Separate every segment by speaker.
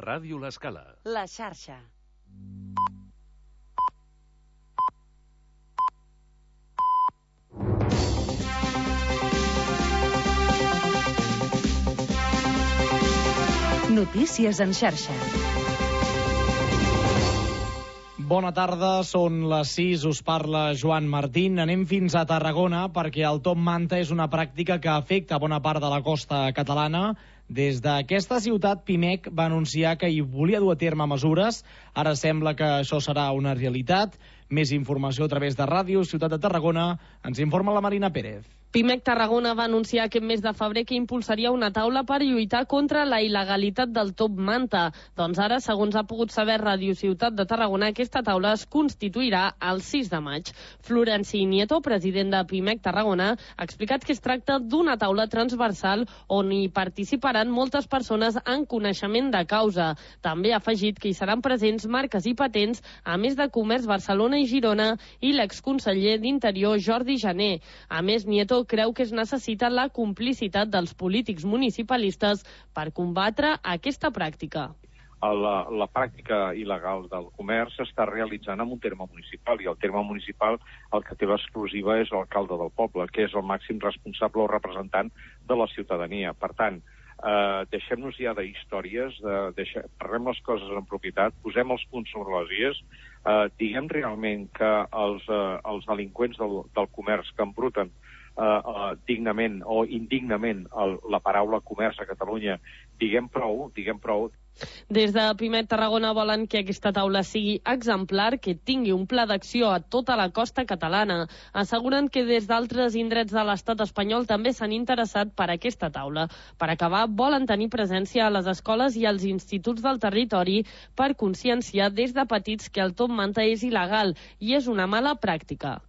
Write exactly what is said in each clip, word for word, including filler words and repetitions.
Speaker 1: Ràdio L'Escala.
Speaker 2: La xarxa. Notícies en xarxa.
Speaker 3: Bona tarda, són les sis, us parla Joan Martín. Anem fins a Tarragona perquè el top manta és una pràctica que afecta bona part de la costa catalana. Des d'aquesta ciutat, Pimec va anunciar que hi volia dur a terme mesures. Ara sembla que això serà una realitat. Més informació a través de Ràdio Ciutat de Tarragona. Ens informa la Marina Pérez.
Speaker 4: Pimec Tarragona va anunciar aquest mes de febrer que impulsaria una taula per lluitar contra la il·legalitat del top manta. Doncs ara, segons ha pogut saber Ràdio Ciutat de Tarragona, aquesta taula es constituirà el sis de maig. Florenci Nieto, president de Pimec Tarragona, ha explicat que es tracta d'una taula transversal on hi participaran moltes persones en coneixement de causa. També ha afegit que hi seran presents marques i patents, a més de Comerç Barcelona i Girona i l'exconseller d'Interior Jordi Jané. A més, Nieto creu que es necessita la complicitat dels polítics municipalistes per combatre aquesta pràctica.
Speaker 5: La, la pràctica il·legal del comerç s'està realitzant en un terme municipal, i el terme municipal el que té l'exclusiva és l'alcalde del poble, que és el màxim responsable o representant de la ciutadania. Per tant, eh, deixem-nos ja d'històries, de, deixem, parlem les coses en propietat, posem els punts sobre les ies, eh, diguem realment que els, eh, els delinqüents del, del comerç que embruten Uh, uh, dignament o indignament el, la paraula comerç a Catalunya, diguem prou, diguem prou.
Speaker 4: Des de Pimec Tarragona volen que aquesta taula sigui exemplar, que tingui un pla d'acció a tota la costa catalana. Asseguren que des d'altres indrets de l'estat espanyol també s'han interessat per aquesta taula. Per acabar, volen tenir presència a les escoles i als instituts del territori per conscienciar des de petits que el top manta és il·legal i és una mala pràctica.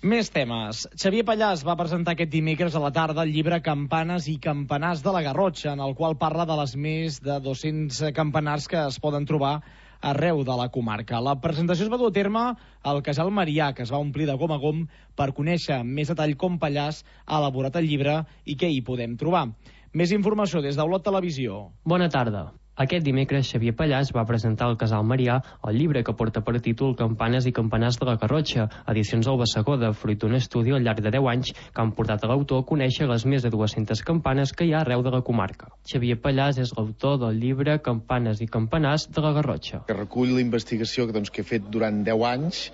Speaker 3: Més temes. Xavier Pallàs va presentar aquest dimecres a la tarda el llibre Campanes i campanars de la Garrotxa, en el qual parla de les més de dos-cents campanars que es poden trobar arreu de la comarca. La presentació es va dur a terme al Casal Marià, que es va omplir de gom a gom per conèixer amb més detall com Pallàs ha elaborat el llibre i què hi podem trobar. Més informació des d'Olot Televisió.
Speaker 6: Bona tarda. Aquest dimecres, Xavier Pallàs va presentar al Casal Marià el llibre que porta per títol Campanes i campanars de la Garrotxa, edicions del Bassegó, fruit d'un estudi al llarg de deu anys que han portat a l'autor a conèixer les més de dues-centes campanes que hi ha arreu de la comarca. Xavier Pallàs és l'autor del llibre Campanes i campanars de la Garrotxa.
Speaker 7: Que recull la investigació doncs, que he fet durant deu anys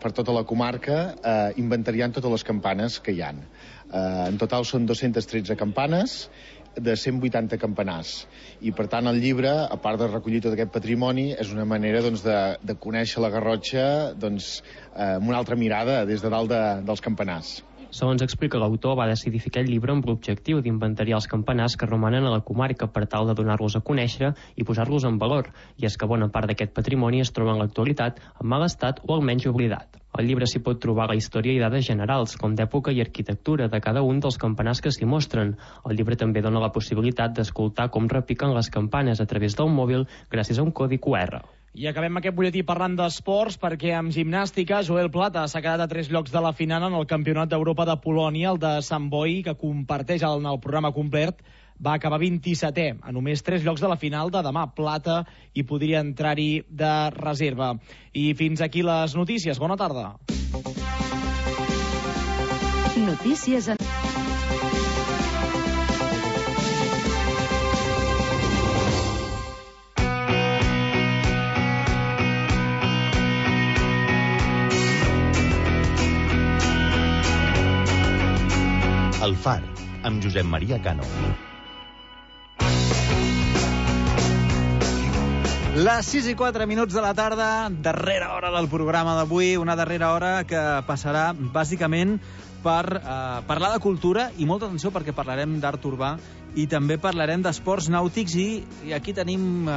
Speaker 7: per tota la comarca, eh, inventariant totes les campanes que hi ha. Eh, en total són dues-centes tretze campanes, de cent vuitanta campanars. I, per tant, el llibre, a part de recollir tot aquest patrimoni, és una manera doncs, de, de conèixer la Garrotxa doncs, eh, amb una altra mirada des de dalt de, dels campanars.
Speaker 6: Segons explica l'autor, va decidir fer aquest llibre amb l'objectiu d'inventariar els campanars que romanen a la comarca per tal de donar-los a conèixer i posar-los en valor, i és que bona part d'aquest patrimoni es troba en l'actualitat en mal estat o almenys oblidat. Al llibre s'hi pot trobar la història i dades generals, com d'època i arquitectura de cada un dels campanars que s'hi mostren. El llibre també dona la possibilitat d'escoltar com repiquen les campanes a través del mòbil gràcies a un codi cu erre.
Speaker 3: I acabem aquest butlletí parlant d'esports perquè amb gimnàstica Joel Plata s'ha quedat a tres llocs de la final en el Campionat d'Europa de Polònia, el de Sant Boi, que comparteix en el programa complet. Va acabar vint-i-setè, a només tres llocs de la final de demà. Plata i podria entrar-hi de reserva. I fins aquí les notícies. Bona tarda.
Speaker 2: Notícies en...
Speaker 8: El Far, amb Josep Maria Cano.
Speaker 9: Les sis i quatre minuts de la tarda, darrera hora del programa d'avui, una darrera hora que passarà bàsicament per eh, parlar de cultura i molta atenció perquè parlarem d'art urbà i també parlarem d'esports nàutics i, i aquí tenim eh,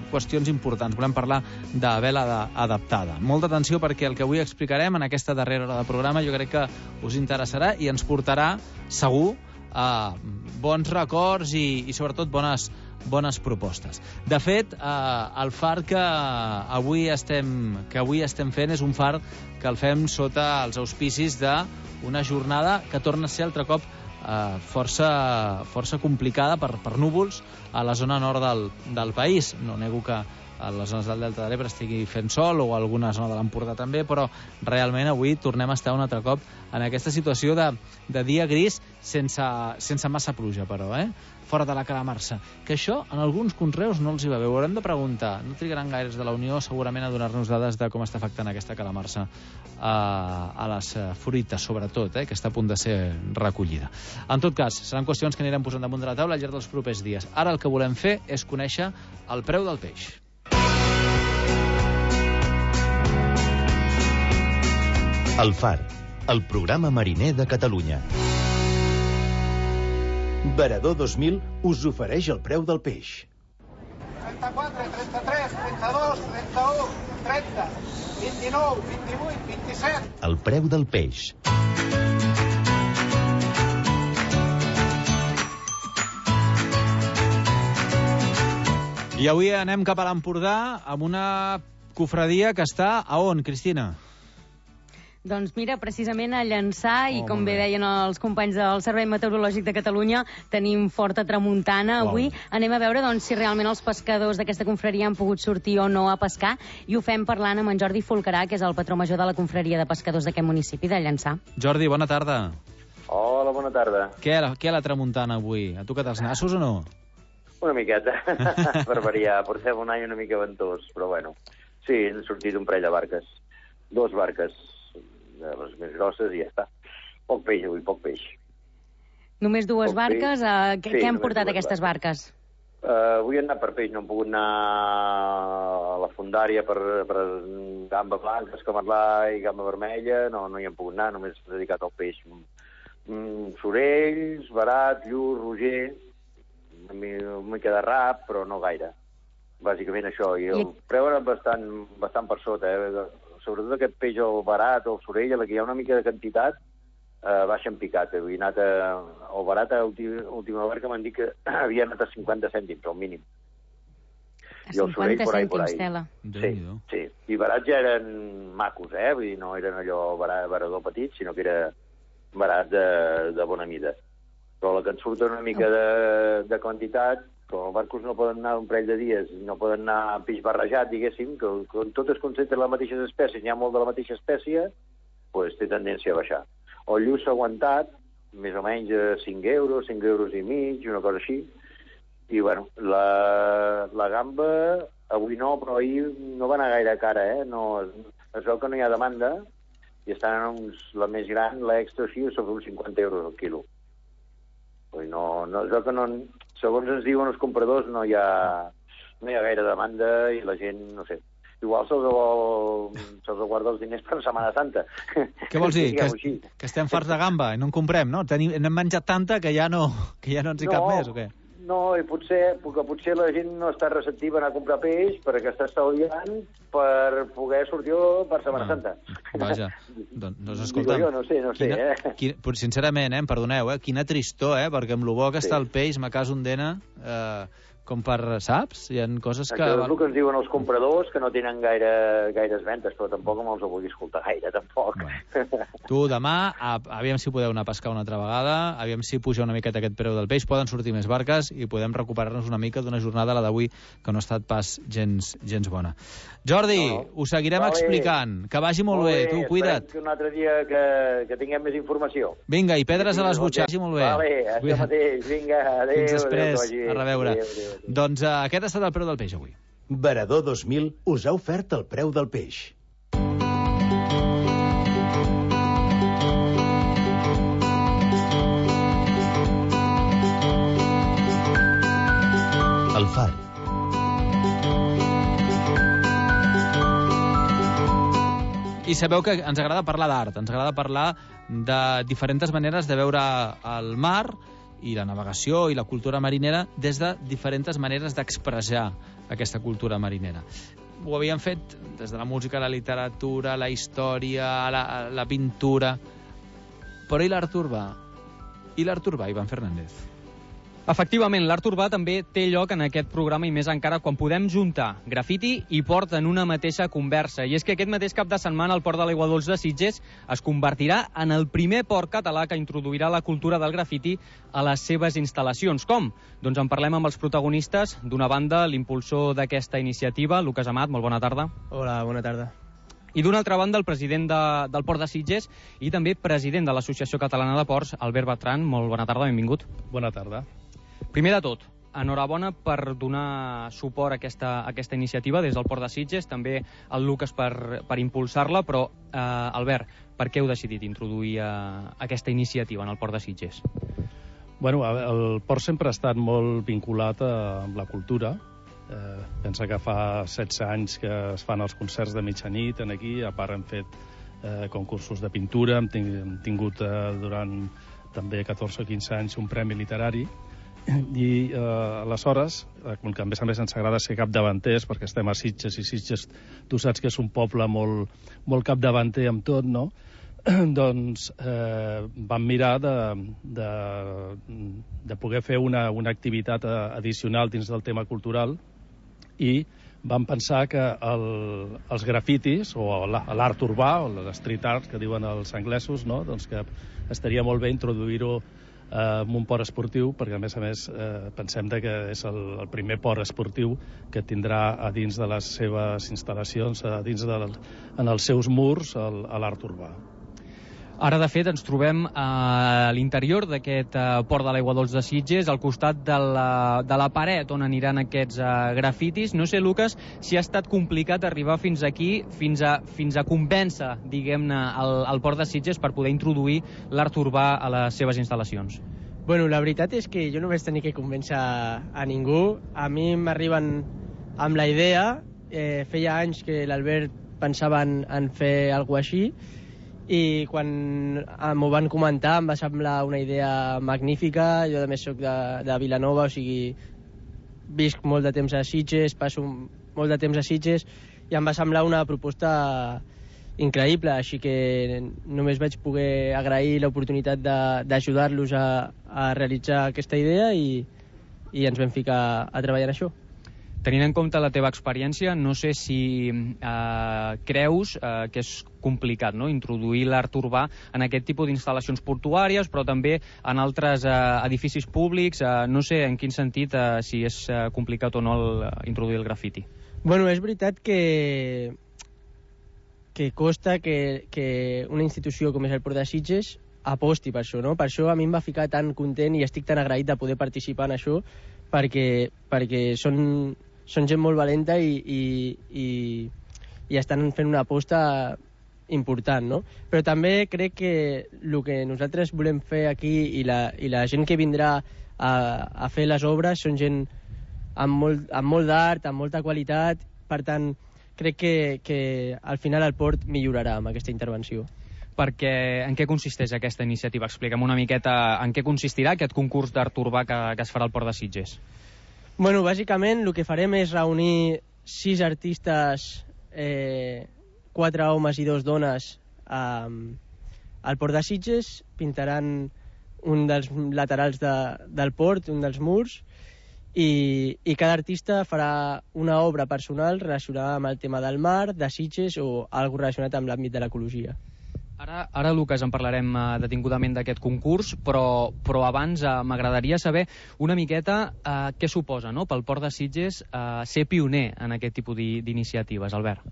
Speaker 9: qüestions importants. Volem parlar de vela de, adaptada. Molta atenció perquè el que avui explicarem en aquesta darrera hora del programa jo crec que us interessarà i ens portarà segur a bons records i, i sobretot bones, bones propostes. De fet, eh, el far que avui estem, que avui estem fent és un far que el fem sota els auspicis de una jornada que torna a ser altre cop eh, força, força complicada per, per núvols a la zona nord del, del país. No nego que a les zones del Delta de l'Ebre estigui fent sol, o alguna zona de l'Empordà també, però realment avui tornem a estar un altre cop en aquesta situació de, de dia gris sense, sense massa pluja, però, eh? Fora de la calamarsa. Que això en alguns conreus no els hi va bé. Ho haurem de preguntar. No trigaran gaires de la Unió segurament a donar-nos dades de com està afectant aquesta calamarsa a, a les fruites, sobretot, eh, que està a punt de ser recollida. En tot cas, seran qüestions que anirem posant damunt de la taula al llarg dels propers dies. Ara el que volem fer és conèixer el preu del peix.
Speaker 8: El Far, el programa mariner de Catalunya. Veredor dos mil us ofereix el preu del peix.
Speaker 1: trenta-quatre, trenta-tres, trenta-dos, trenta-u, trenta, vint-i-nou, vint-i-vuit, vint-i-set.
Speaker 8: El preu del peix.
Speaker 9: I avui anem cap a l'Empordà amb una cofradia que està a on, Cristina?
Speaker 10: Doncs mira, precisament a Llançà,
Speaker 9: oh,
Speaker 10: i com bé deien els companys del Servei Meteorològic de Catalunya, tenim forta tramuntana avui. Wow. Anem a veure doncs, si realment els pescadors d'aquesta confraria han pogut sortir o no a pescar, i ho fem parlant amb en Jordi Folcarà, que és el patró major de la confraria de pescadors d'aquest municipi de Llançà.
Speaker 9: Jordi, bona tarda.
Speaker 11: Hola, bona tarda.
Speaker 9: Què a la, què a la tramuntana avui? Ha tocat els nassos o no?
Speaker 11: Una miqueta, per variar. Portem un any una mica ventós, però bueno. Sí, han sortit un parell de barques. Dos barques, de les més grosses, i ja està. Poc peix avui, poc peix.
Speaker 10: Només dues
Speaker 11: poc
Speaker 10: barques? Uh, què,
Speaker 11: sí,
Speaker 10: què han portat aquestes barques?
Speaker 11: barques? Uh, avui han anat per peix, no han pogut anar a la fondària per, per gamba blanca, escamarlà i gamba vermella, no, no hi han pogut anar, només dedicat al peix. Mm, sorells, barat, llur, roger, una mica de rap, però no gaire. Bàsicament això, i el preu era bastant, bastant per sota, eh? Sobretot aquest peix, el barat o el sorell, a la que hi ha una mica de quantitat, eh, baixa en picat. He anat a, el barat a l'última barca m'han dit que havia anat a cinquanta cèntims, al mínim.
Speaker 10: A cinquanta cèntims, tela.
Speaker 11: Sí, sí. I barats ja eren macos, eh? Vull dir, no eren allò barat, barador petit, sinó que era barat de, de bona mida. Però la que ens surt una mica de, de quantitat, com els barcos no poden anar un parell de dies, no poden anar peix barrejat, diguéssim, que quan tot es concentra en les mateixes espècies, n'hi ha molt de la mateixa espècie, doncs té tendència a baixar. El lluç s'ha aguantat, més o menys a cinc euros, cinc euros i mig, una cosa així. I, bueno, la, la gamba, avui no, però ahir no va anar gaire cara, eh? No, es veu que no hi ha demanda, i estan en uns, la més gran, l'extra així, sobre uns cinquanta euros al quilo. No, no, es veu que no, segons ens diuen els compradors, no hi ha, no hi ha gaire demanda i la gent, no sé, igual se'ls se guarda els diners per Setmana Santa.
Speaker 9: Què vols dir? Que, que estem farts de gamba i no en comprem, no? Tenim, n'hem menjat tanta que ja no, que ja no ens hi no, cap més, o què?
Speaker 11: No, i potser, perquè potser la gent no està receptiva a anar a comprar peix perquè està estalviant per poder sortir per Setmana ah, Santa.
Speaker 9: Vaja, doncs, doncs escolta'm...
Speaker 11: Jo no sé, no sé,
Speaker 9: quina,
Speaker 11: eh?
Speaker 9: Quina, sincerament, eh, em perdoneu, eh, quina tristor, eh, perquè amb lo bo que sí. està el peix, m'acas un dena... Eh, com per, saps? Hi ha coses que...
Speaker 11: Això és el que ens diuen els compradors, que no tenen gaire, gaires ventes, però tampoc no els ho vulgui escoltar gaire, tampoc.
Speaker 9: Bueno. Tu, demà, a, aviam si podeu anar a pescar una altra vegada, aviam si puja una miqueta aquest preu del peix, poden sortir més barques i podem recuperar-nos una mica d'una jornada, la d'avui, que no ha estat pas gens, gens bona. Jordi, no, no. Ho seguirem vale. explicant. Que vagi molt, molt bé. bé. Tu, cuida't.
Speaker 11: Que un altre dia que, que tinguem més informació.
Speaker 9: Vinga, i pedres a les butxaques. Vagi molt bé.
Speaker 11: Vale, això mateix. Vinga, adéu.
Speaker 9: Fins després.
Speaker 11: Adéu,
Speaker 9: a reveure. Adéu, adéu, adéu. Doncs uh, aquest ha estat el preu del peix avui.
Speaker 8: Veredor dos mil us ha ofert el preu del peix. El Far.
Speaker 9: I sabeu que ens agrada parlar d'art, ens agrada parlar de diferents maneres de veure el mar i la navegació i la cultura marinera des de diferents maneres d'expressar aquesta cultura marinera. Ho havíem fet des de la música, la literatura, la història, la, la pintura... Però i l'art urbà? I l'art urbà, Ivan Fernández?
Speaker 12: Efectivament, l'art urbà també té lloc en aquest programa i més encara quan podem juntar grafiti i port en una mateixa conversa. I és que aquest mateix cap de setmana el Port de l'Aigua Dols de Sitges es convertirà en el primer port català que introduirà la cultura del grafiti a les seves instal·lacions. Com? Doncs en parlem amb els protagonistes. D'una banda, l'impulsor d'aquesta iniciativa, Lucas Amat, molt bona tarda.
Speaker 13: Hola, bona tarda.
Speaker 12: I d'una altra banda, el president de, del Port de Sitges i també president de l'Associació Catalana de Ports, Albert Bertran. Molt bona tarda, benvingut.
Speaker 14: Bona tarda.
Speaker 12: Primer de tot, enhorabona per donar suport a aquesta, a aquesta iniciativa des del Port de Sitges, també el Lucas per, per impulsar-la, però, eh, Albert, per què heu decidit introduir eh, aquesta iniciativa en el Port de Sitges?
Speaker 14: Bueno, el port sempre ha estat molt vinculat a, amb la cultura. Eh, pensa que fa setze anys que es fan els concerts de mitjanit en aquí, a part hem fet eh, concursos de pintura, hem, ting hem tingut eh, durant també catorze o quinze anys un premi literari, i eh, aleshores, eh, com que a més a més ens agrada ser capdavanters, perquè estem a Sitges, i Sitges tu saps que és un poble molt, molt capdavanter amb tot, no? Doncs eh, vam mirar de, de, de poder fer una, una activitat addicional dins del tema cultural, i vam pensar que el, els grafitis, o l'art urbà, o l'street art, que diuen els anglesos, no? Doncs que estaria molt bé introduir-ho en un port esportiu, perquè a més a més eh, pensem que és el, el primer port esportiu que tindrà a dins de les seves instal·lacions, a dins de, en els seus murs, el, l'art urbà.
Speaker 12: Ara, de fet, ens trobem a l'interior d'aquest uh, Port de l'Aigua Dols de Sitges, al costat de la, de la paret on aniran aquests uh, grafitis. No sé, Lucas, si ha estat complicat arribar fins aquí, fins a, fins a convèncer, diguem-ne, el, el Port de Sitges per poder introduir l'art urbà a les seves instal·lacions.
Speaker 13: Bueno, la veritat és que jo no vaig tenir que convèncer a ningú. A mi m'arriben amb la idea. Eh, feia anys que l'Albert pensava en, en fer alguna així, i quan m'ho van comentar em va semblar una idea magnífica. Jo a més soc de, de Vilanova, o sigui, visc molt de temps a Sitges, passo molt de temps a Sitges, i em va semblar una proposta increïble, així que només vaig poder agrair l'oportunitat d'ajudar-los a, a realitzar aquesta idea, i, i ens vam ficar a treballar en això.
Speaker 12: Tenint en compte la teva experiència, no sé si eh, creus eh, que és complicat, no?, introduir l'art urbà en aquest tipus d'instal·lacions portuàries, però també en altres eh, edificis públics. Eh, no sé en quin sentit, eh, si és eh, complicat o no el, introduir el grafiti.
Speaker 13: Bueno, és veritat que, que costa que, que una institució com és el Port de Sitges aposti per això, no? Per això a mi em va ficar tan content i estic tan agraït de poder participar en això, perquè, perquè són... són gent molt valenta i, i, i, i estan fent una aposta important, no? Però també crec que el que nosaltres volem fer aquí, i la, i la gent que vindrà a, a fer les obres, són gent amb molt, amb molt d'art, amb molta qualitat. Per tant, crec que, que al final el port millorarà amb aquesta intervenció.
Speaker 12: Perquè en què consisteix aquesta iniciativa? Explica'm una miqueta en què consistirà aquest concurs d'art urbà que, que es farà al Port de Sitges.
Speaker 13: Bueno, bàsicament el que farem és reunir sis artistes, eh, quatre homes i dos dones, eh, al Port de Sitges. Pintaran un dels laterals de, del port, un dels murs, i, i cada artista farà una obra personal relacionada amb el tema del mar, de Sitges, o alguna relacionat amb l'àmbit de l'ecologia.
Speaker 12: Ara, ara, Lucas, en parlarem uh, detingudament d'aquest concurs, però, però abans uh, m'agradaria saber una miqueta uh, què suposa, no?, pel Port de Sitges uh, ser pioner en aquest tipus d'iniciatives. Albert.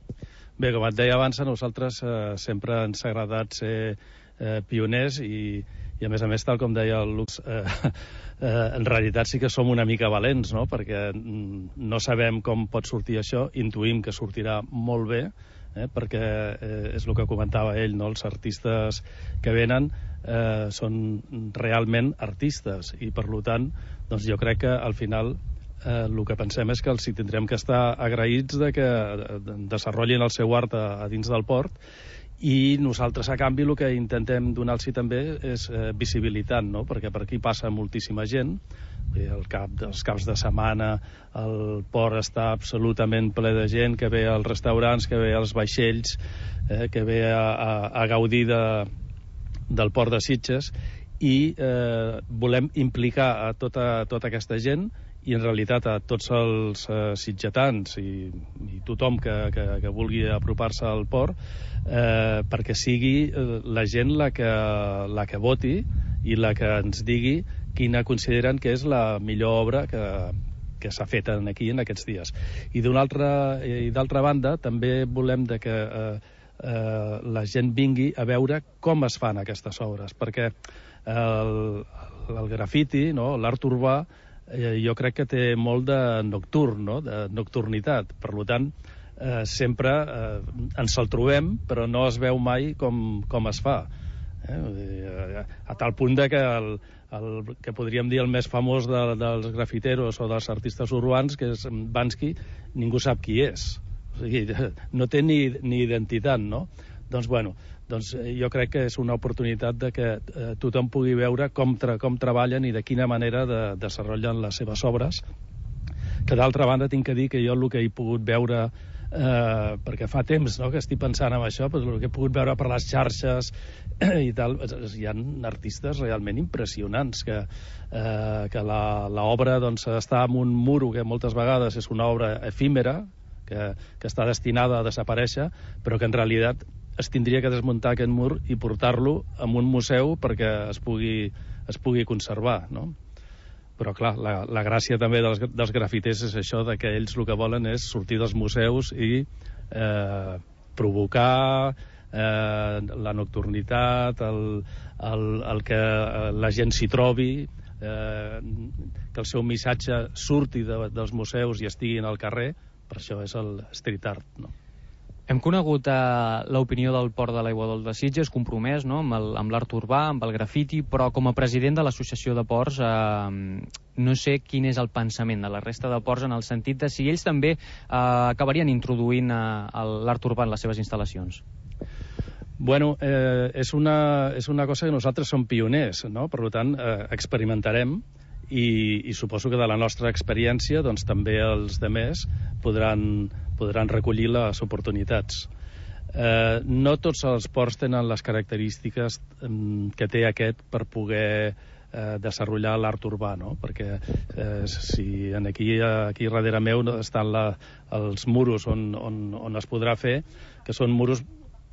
Speaker 14: Bé, com et deia abans, a nosaltres uh, sempre ens ha agradat ser uh, pioners, i, i a més a més, tal com deia el Lux, uh, uh, en realitat sí que som una mica valents, no?, perquè no sabem com pot sortir això, intuïm que sortirà molt bé, Eh, perquè eh, és el que comentava ell, no? Els artistes que venen eh, són realment artistes, i per tant doncs jo crec que al final eh, el que pensem és que els hi tindrem que estar agraïts de que desenvolupin el seu art a, a dins del port, i nosaltres a canvi el que intentem donar-los també és eh, visibilitat, no? Perquè per aquí passa moltíssima gent. El cap dels caps de setmana el port està absolutament ple de gent que ve als restaurants, que ve als vaixells, eh, que ve a, a, a gaudir de, del Port de Sitges, i eh, volem implicar a tota, tota aquesta gent i en realitat a tots els eh, sitgetans i, i tothom que, que, que vulgui apropar-se al port eh, perquè sigui eh, la gent la que, la que voti i la que ens digui quina consideren que és la millor obra que, que s'ha fet aquí en aquests dies. I d'una altra, i d'altra banda també volem de que eh, eh, la gent vingui a veure com es fan aquestes obres, perquè el, el grafiti, no? L'art urbà, eh, jo crec que té molt de nocturn, no? De nocturnitat. Per tant, eh, sempre eh, ens el trobem, però no es veu mai com, com es fa. Eh? A tal punt de que el, el que podríem dir el més famós de, dels grafiteros o dels artistes urbans, que és Banksy, ningú sap qui és. O sigui, no té ni, ni identitat, no? Doncs, bueno, doncs jo crec que és una oportunitat de que eh, tothom pugui veure com, tra com treballen i de quina manera de desenvolupen les seves obres, que d'altra banda tinc que dir que jo el que he pogut veure, eh, perquè fa temps, no?, que estic pensant en això, però el que he pogut veure per les xarxes i tal, hi ha artistes realment impressionants, que, eh, que l'obra doncs, està en un muro que moltes vegades és una obra efímera, que, que està destinada a desaparèixer, però que en realitat es tindria que desmuntar aquest mur i portar-lo a un museu perquè es pugui, es pugui conservar, no? Però, clar, la, la gràcia també dels, dels grafiters és això, de que ells el que volen és sortir dels museus i eh, provocar eh, la nocturnitat, el, el, el que la gent s'hi trobi, eh, que el seu missatge surti de, dels museus i estigui al carrer. Per això és el street art, no?
Speaker 12: Hem conegut eh, l'opinió del Port de l'Aigua Dols de Sitges, compromès, no?, amb l'art urbà, amb el grafiti, però com a president de l'Associació de Ports eh, no sé quin és el pensament de la resta de ports en el sentit de si ells també eh, acabarien introduint eh, l'art urbà en les seves instal·lacions.
Speaker 14: Bueno, eh, és, una, és una cosa que nosaltres som pioners, no? Per tant, eh, experimentarem i, i suposo que de la nostra experiència doncs, també els demés podran, podran recollir les oportunitats. Eh, no tots els ports tenen les característiques eh, que té aquest per poder eh, desenvolupar l'art urbà, no? Perquè eh, si aquí, aquí darrere meu estan la, els muros on, on, on es podrà fer, que són muros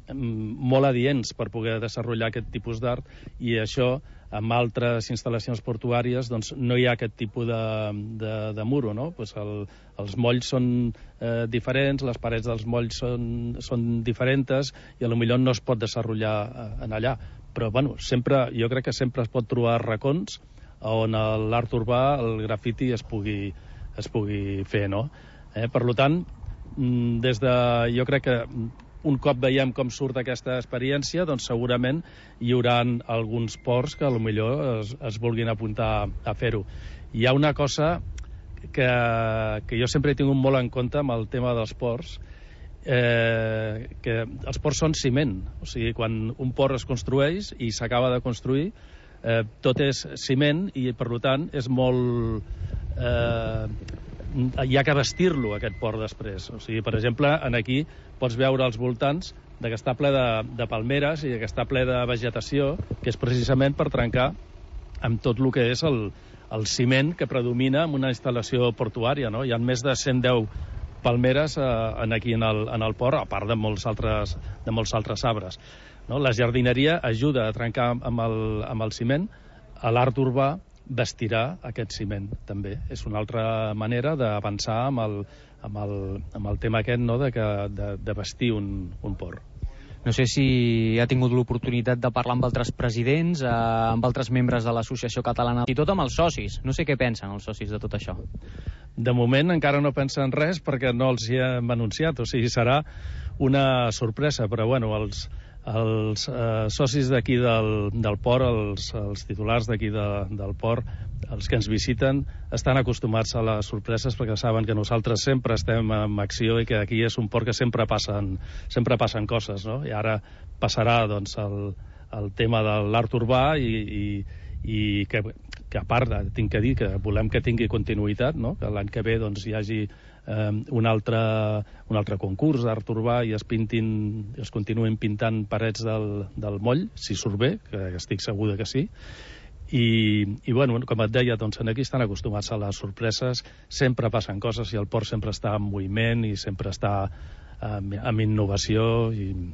Speaker 14: molt adients per poder desenvolupar aquest tipus d'art, i això amb altres instal·lacions portuàries doncs no hi ha aquest tipus de, de, de muro, no? Pues el, els molls són eh, diferents, les parets dels molls són, són diferents i potser no es pot desenvolupar en allà, però bueno, sempre, jo crec que sempre es pot trobar racons on l'art urbà, el grafiti es pugui, es pugui fer, no? Eh, per tant, des de, jo crec que un cop veiem com surt aquesta experiència, doncs segurament hi haurà alguns ports que potser es, es vulguin apuntar a fer-ho. Hi ha una cosa que, que jo sempre he tingut molt en compte amb el tema dels ports, eh, que els ports són ciment. O sigui, quan un port es construeix i s'acaba de construir, eh, tot és ciment i, per tant, és molt... Eh, hi ha que vestir-lo, aquest port, després. O sigui, per exemple, en aquí pots veure als voltants de que està ple de, de palmeres i que està ple de vegetació, que és precisament per trencar amb tot el que és el, el ciment que predomina en una instal·lació portuària, no? Hi ha més de cent deu palmeres eh, en aquí en el, en el port, a part de molts altres, de molts altres arbres, no? La jardineria ajuda a trencar amb el, amb el ciment. A l'art urbà vestirà aquest ciment, també. És una altra manera d'avançar amb, el, amb, el, amb el tema aquest, no?, de, que, de, de vestir un, un port.
Speaker 12: No sé si ha tingut l'oportunitat de parlar amb altres presidents, eh, amb altres membres de l'Associació Catalana, i tot amb els socis. No sé què pensen els socis de tot això.
Speaker 14: De moment encara no pensen res perquè no els hi hem anunciat, o sigui, serà una sorpresa, però bueno, els, els eh, socis d'aquí del, del port, els, els titulars d'aquí de, del port, els que ens visiten, estan acostumats a les sorpreses perquè saben que nosaltres sempre estem en acció i que aquí és un port que sempre passen, sempre passen coses, no? I ara passarà doncs, el, el tema de l'art urbà i, i, i que, que a part tinc que dir que volem que tingui continuïtat, no? Que l'any que ve doncs, hi hagi eh, un, altre, un altre concurs d'art urbà i es pintin, es continuïn pintant parets del, del moll, si surt bé, que estic segur que sí, I, i bueno, com et deia, doncs aquí estan acostumats a les sorpreses, sempre passen coses i el port sempre està en moviment i sempre està eh, amb innovació. I en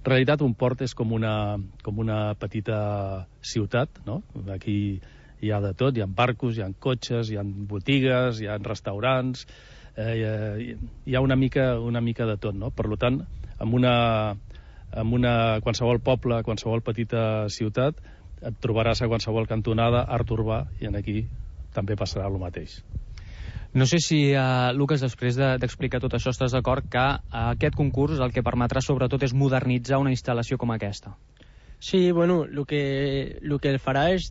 Speaker 14: realitat un port és com una, com una petita ciutat, no? Aquí hi ha de tot, hi ha barcos, hi ha cotxes, hi ha botigues, hi ha restaurants, eh, hi ha una mica, una mica de tot, no? Per tant, en una, en una qualsevol poble, qualsevol petita ciutat, et trobaràs a qualsevol cantonada art urbà, i en aquí també passarà el mateix.
Speaker 12: No sé si, uh, Lucas, després d'explicar de, tot això, estàs d'acord que uh, aquest concurs el que permetrà sobretot és modernitzar una instal·lació com aquesta.
Speaker 13: Sí, bueno, el que, el que el farà és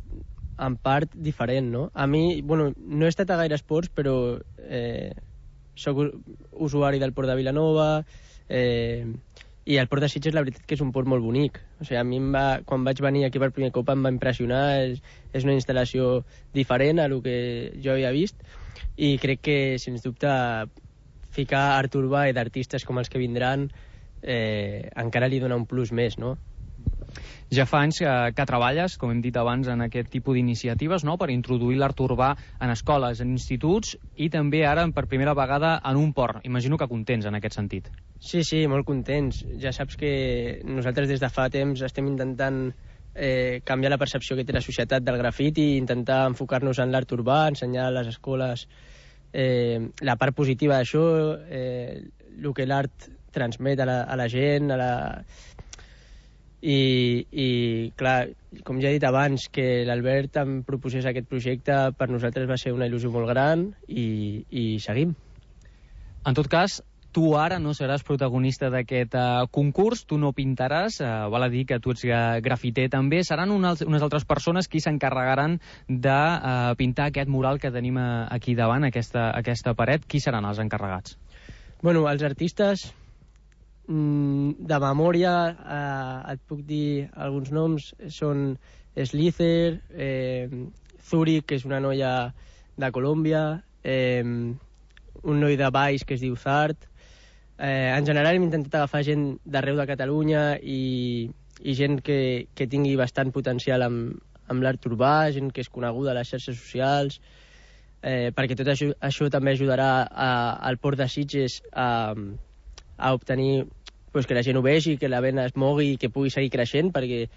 Speaker 13: en part diferent, no? A mi, bueno, no he estat a gaire esports, però eh, soc usuari del Port de Vilanova, eh, i el Port de Sitges, la veritat que és un port molt bonic. O sigui, a mi em va, quan vaig venir aquí per primer cop em va impressionar. És, és una instal·lació diferent a el que jo havia vist, i crec que, sens dubte, ficar art urbà i d'artistes com els que vindran eh, encara li dona un plus més, no?
Speaker 12: Ja fa anys que, que treballes, com hem dit abans, en aquest tipus d'iniciatives, no?, per introduir l'art urbà en escoles, en instituts, i també ara per primera vegada en un port. Imagino que contents en aquest sentit.
Speaker 13: Sí, sí, molt contents. Ja saps que nosaltres des de fa temps estem intentant eh, canviar la percepció que té la societat del grafiti i intentar enfocar-nos en l'art urbà, ensenyar a les escoles eh, la part positiva d'això, eh, el que l'art transmet a la, a la gent, a la... I, i clar, com ja he dit abans, que l'Albert em proposés aquest projecte per nosaltres va ser una il·lusió molt gran, i, i seguim.
Speaker 12: En tot cas, tu ara no seràs protagonista d'aquest uh, concurs, tu no pintaràs, uh, val a dir que tu ets uh, grafiter també, seran unes, unes altres persones qui s'encarregaran de uh, pintar aquest mural que tenim uh, aquí davant, aquesta, aquesta paret. Qui seran els encarregats?
Speaker 13: Bueno, els artistes... de memòria eh, et puc dir alguns noms. Són Slither, eh, Zurich, que és una noia de Colòmbia, eh, un noi de Baix que es diu Zart. Eh, en general hem intentat agafar gent d'arreu de Catalunya i, i gent que, que tingui bastant potencial amb, amb l'art urbà, gent que és coneguda a les xarxes socials, eh, perquè tot això, això també ajudarà a, al Port de Sitges a, a obtenir pues, que la gent ho vegi, que la venda es mogui i que pugui seguir creixent, perquè,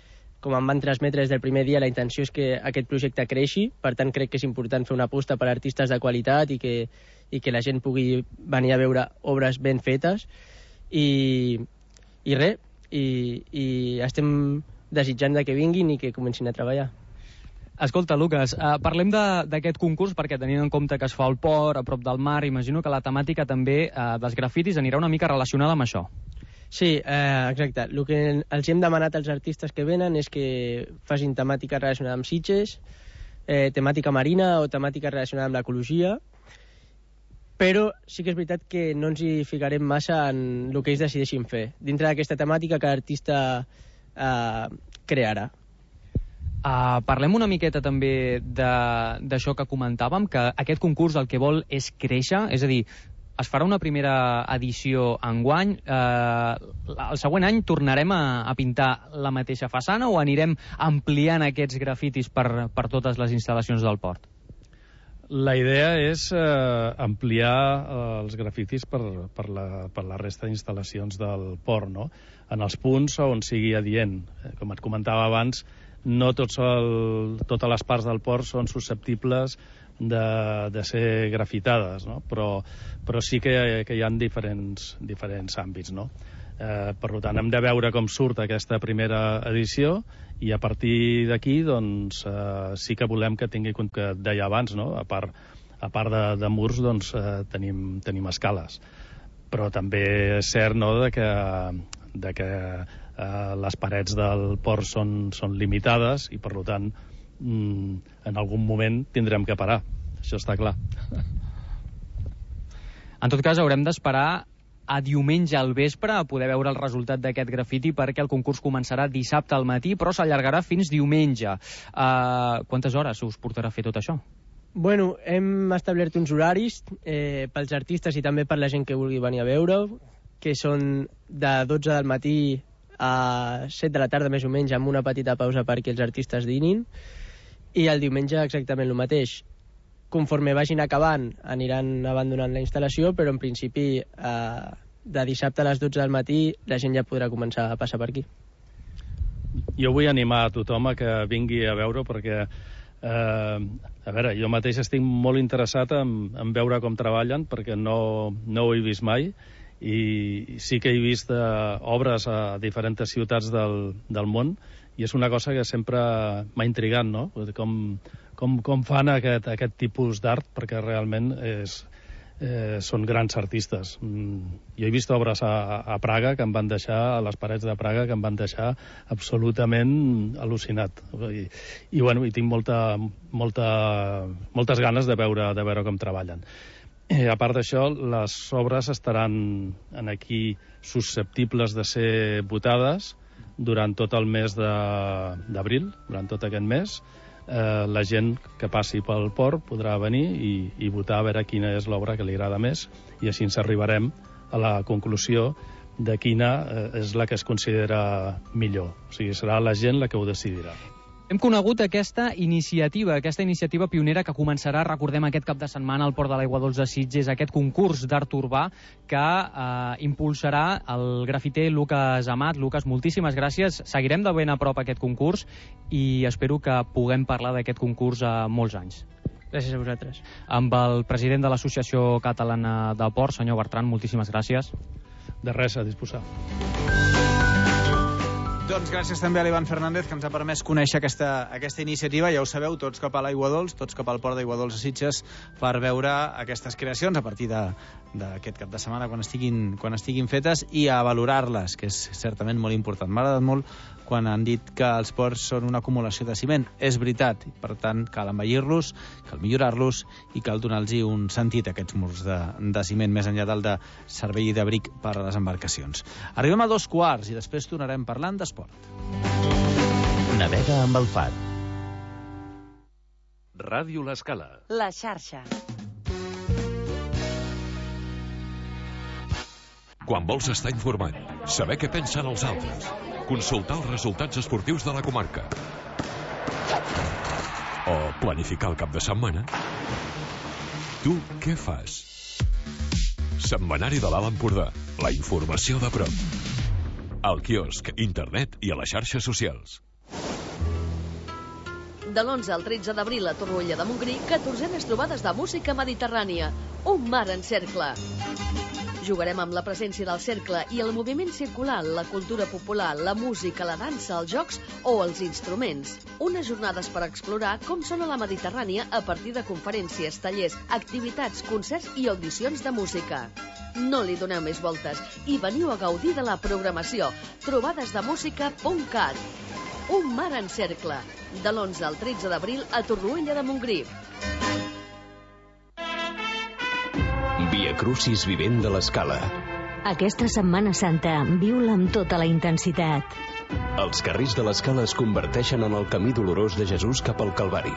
Speaker 13: com em van transmetre des del primer dia, la intenció és que aquest projecte creixi. Per tant, crec que és important fer una aposta per artistes de qualitat i que, i que la gent pugui venir a veure obres ben fetes. I, i res, i, i estem desitjant de que vinguin i que comencin a treballar.
Speaker 12: Escolta, Lucas, eh, parlem d'aquest concurs perquè tenint en compte que es fa al port, a prop del mar, imagino que la temàtica també eh, dels grafitis anirà una mica relacionada amb això.
Speaker 13: Sí, eh, exacte. El que els hem demanat als artistes que venen és que facin temàtica relacionada amb Sitges, eh, temàtica marina o temàtica relacionada amb l'ecologia, però sí que és veritat que no ens hi ficarem massa en el que ells decideixin fer. Dintre d'aquesta temàtica que l'artista eh, crearà.
Speaker 12: Uh, parlem una miqueta també d'això que comentàvem, que aquest concurs el que vol és créixer, és a dir, es farà una primera edició enguany, eh, el següent any tornarem a, a pintar la mateixa façana o anirem ampliant aquests grafitis per, per totes les instal·lacions del port?
Speaker 14: La idea és eh, ampliar eh, els grafitis per, per, la, per la resta d'instal·lacions del port, no? En els punts on sigui adient. Com et comentava abans, no tots el, totes les parts del port són susceptibles de, de ser grafitades, no? però, però sí que, que hi ha diferents, diferents àmbits, no? Eh, per tant, hem de veure com surt aquesta primera edició i a partir d'aquí doncs, eh, sí que volem que tingui, com que et deia abans, no? a part, a part de, de murs doncs, eh, tenim, tenim escales, però també és cert, no?, de que, de que eh, les parets del port són, són limitades i per tant en algun moment tindrem que parar, això està clar.
Speaker 12: En tot cas, haurem d'esperar a diumenge al vespre a poder veure el resultat d'aquest grafiti, perquè el concurs començarà dissabte al matí, però s'allargarà fins diumenge. Uh, quantes hores us portarà a fer tot això?
Speaker 13: Bueno, hem establert uns horaris eh, pels artistes i també per la gent que vulgui venir a veure, que són de dotze del matí a set de la tarda més o menys, amb una petita pausa perquè els artistes dinin. I el diumenge exactament el mateix. Conforme vagin acabant, aniran abandonant la instal·lació, però en principi eh, de dissabte a les dotze del matí la gent ja podrà començar a passar per aquí.
Speaker 14: Jo vull animar a tothom a que vingui a veure, perquè eh, a veure, jo mateix estic molt interessat en, en veure com treballen, perquè no, no ho he vist mai, i sí que he vist eh, obres a diferents ciutats del, del món, i és una cosa que sempre m'ha intrigat, no? Com, com, com fan aquest, aquest tipus d'art, perquè realment és, eh, són grans artistes. Mm, jo he vist obres a, a Praga que em van deixar, a les parets de Praga, que em van deixar absolutament al·lucinat. I, i, bueno, i tinc molta, molta, moltes ganes de veure, de veure com treballen. Eh, a part d'això, les obres estaran en aquí susceptibles de ser votades durant tot el mes d'abril, durant tot aquest mes. Eh, la gent que passi pel port podrà venir i, i votar a veure quina és l'obra que li agrada més, i així ens arribarem a la conclusió de quina eh, és la que es considera millor. O sigui, serà la gent la que ho decidirà.
Speaker 12: Hem conegut aquesta iniciativa, aquesta iniciativa pionera que començarà, recordem, aquest cap de setmana al Port de l'Aigua Dols de Sitges, aquest concurs d'art urbà que eh, impulsarà el grafiter Lucas Amat. Lucas, moltíssimes gràcies. Seguirem de ben a prop aquest concurs i espero que puguem parlar d'aquest concurs a molts anys.
Speaker 13: Gràcies a vosaltres.
Speaker 12: Amb el president de l'Associació Catalana de Port, senyor Bertran, moltíssimes gràcies.
Speaker 14: De res, a disposar.
Speaker 9: Doncs gràcies també a l'Ivan Fernández, que ens ha permès conèixer aquesta, aquesta iniciativa. Ja ho sabeu, tots cap a l'Aigua Dols, tots cap al Port d'Aigua Dols de Sitges, per veure aquestes creacions a partir d'aquest cap de setmana, quan estiguin, quan estiguin fetes, i a valorar-les, que és certament molt important. M'ha agradat molt quan han dit que els ports són una acumulació de ciment. És veritat, i per tant cal embellir-los, cal millorar-los i cal donar-los un sentit a aquests murs de, de ciment, més enllà del de servei i d'abric per a les embarcacions. Arribem a dos quarts i després tornarem parlant d'esport.
Speaker 8: Navega amb el Far.
Speaker 2: Ràdio L'Escala. La xarxa.
Speaker 15: Quan vols estar informat, saber què pensen els altres, consultar els resultats esportius de la comarca o planificar el cap de setmana, tu què fas? Setmanari de l'Alt Empordà, la informació de prop. Al quiosc, internet i a les xarxes socials.
Speaker 16: De l'onze al tretze d'abril a Torroella de Montgrí, catorzenes trobades de música mediterrània. Un mar en cercle. Jugarem amb la presència del cercle i el moviment circular, la cultura popular, la música, la dansa, els jocs o els instruments. Unes jornades per explorar com sona la Mediterrània a partir de conferències, tallers, activitats, concerts i audicions de música. No li doneu més voltes i veniu a gaudir de la programació. trobades de música punt cat. Un mar en cercle. De l'onze al tretze d'abril a Torroella de Montgrí.
Speaker 8: Via Crucis Vivent de l'Escala.
Speaker 17: Aquesta Setmana Santa viu-la amb tota la intensitat.
Speaker 8: Els carrers de l'Escala es converteixen en el camí dolorós de Jesús cap al Calvari.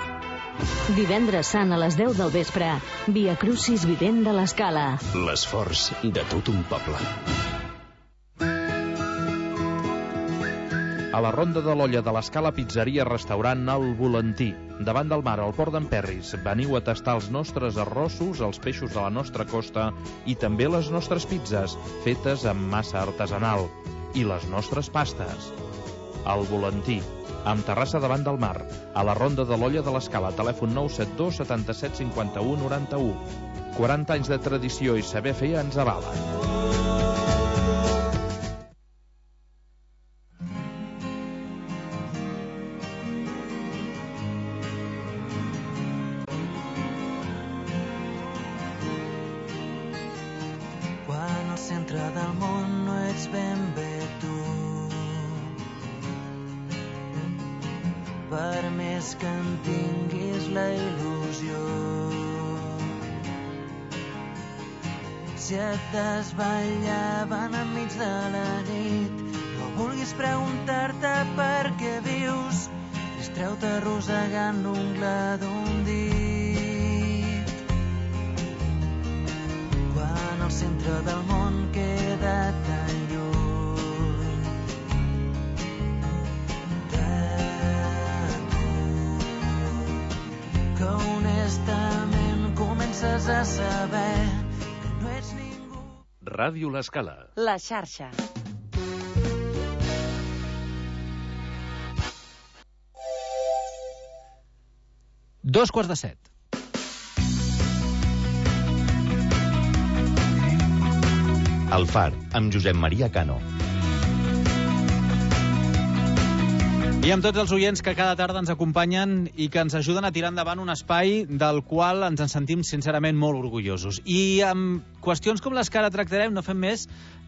Speaker 17: Divendres Sant a les deu del vespre, Via Crucis Vivent de l'Escala.
Speaker 8: L'esforç de tot un poble.
Speaker 18: A la Ronda de l'Olla de l'Escala, pizzeria restaurant El Volantí. Davant del mar, al port d'Emperris. Veniu a tastar els nostres arrossos, els peixos de la nostra costa i també les nostres pizzas, fetes amb massa artesanal. I les nostres pastes. El Volantí, amb terrassa davant del mar. A la Ronda de l'Olla de l'Escala, telèfon nou set dos setanta-set cinquanta-u noranta-u. quaranta anys de tradició i saber fer ens avalen.
Speaker 19: Si et desvetllaven enmig de la nit, no vulguis preguntar-te per què vius, distreu-te arrossegant l'ungla d'un dit. Quan el centre del món queda tan lluny de tu. modestament comences a saber que no ets ningú.
Speaker 2: Ràdio L'Escala.
Speaker 17: La xarxa.
Speaker 9: Dos quarts de set.
Speaker 20: El Far, amb Josep Maria Cano.
Speaker 9: I amb tots els oients que cada tarda ens acompanyen i que ens ajuden a tirar endavant un espai del qual ens en sentim sincerament molt orgullosos. I amb qüestions com les que ara tractarem no fem més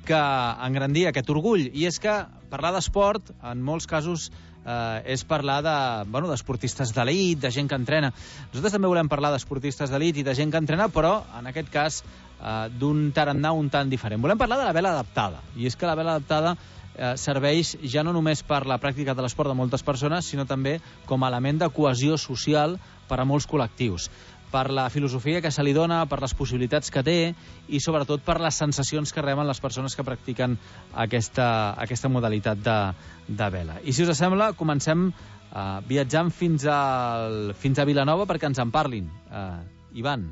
Speaker 9: que engrandir aquest orgull. I és que parlar d'esport, en molts casos, eh, és parlar de, bueno, d'esportistes d'elit, de gent que entrena. Nosaltres també volem parlar d'esportistes d'elit i de gent que entrena, però en aquest cas eh, d'un tarannà un tant diferent. Volem parlar de la vela adaptada. I és que la vela adaptada Eh, serveix ja no només per la pràctica de l'esport de moltes persones, sinó també com a element de cohesió social per a molts col·lectius, per la filosofia que se li dona, per les possibilitats que té i sobretot per les sensacions que reben les persones que practiquen aquesta, aquesta modalitat de, de vela. I si us sembla, comencem eh, viatjant fins, al, fins a Vilanova perquè ens en parlin. Eh, Ivan.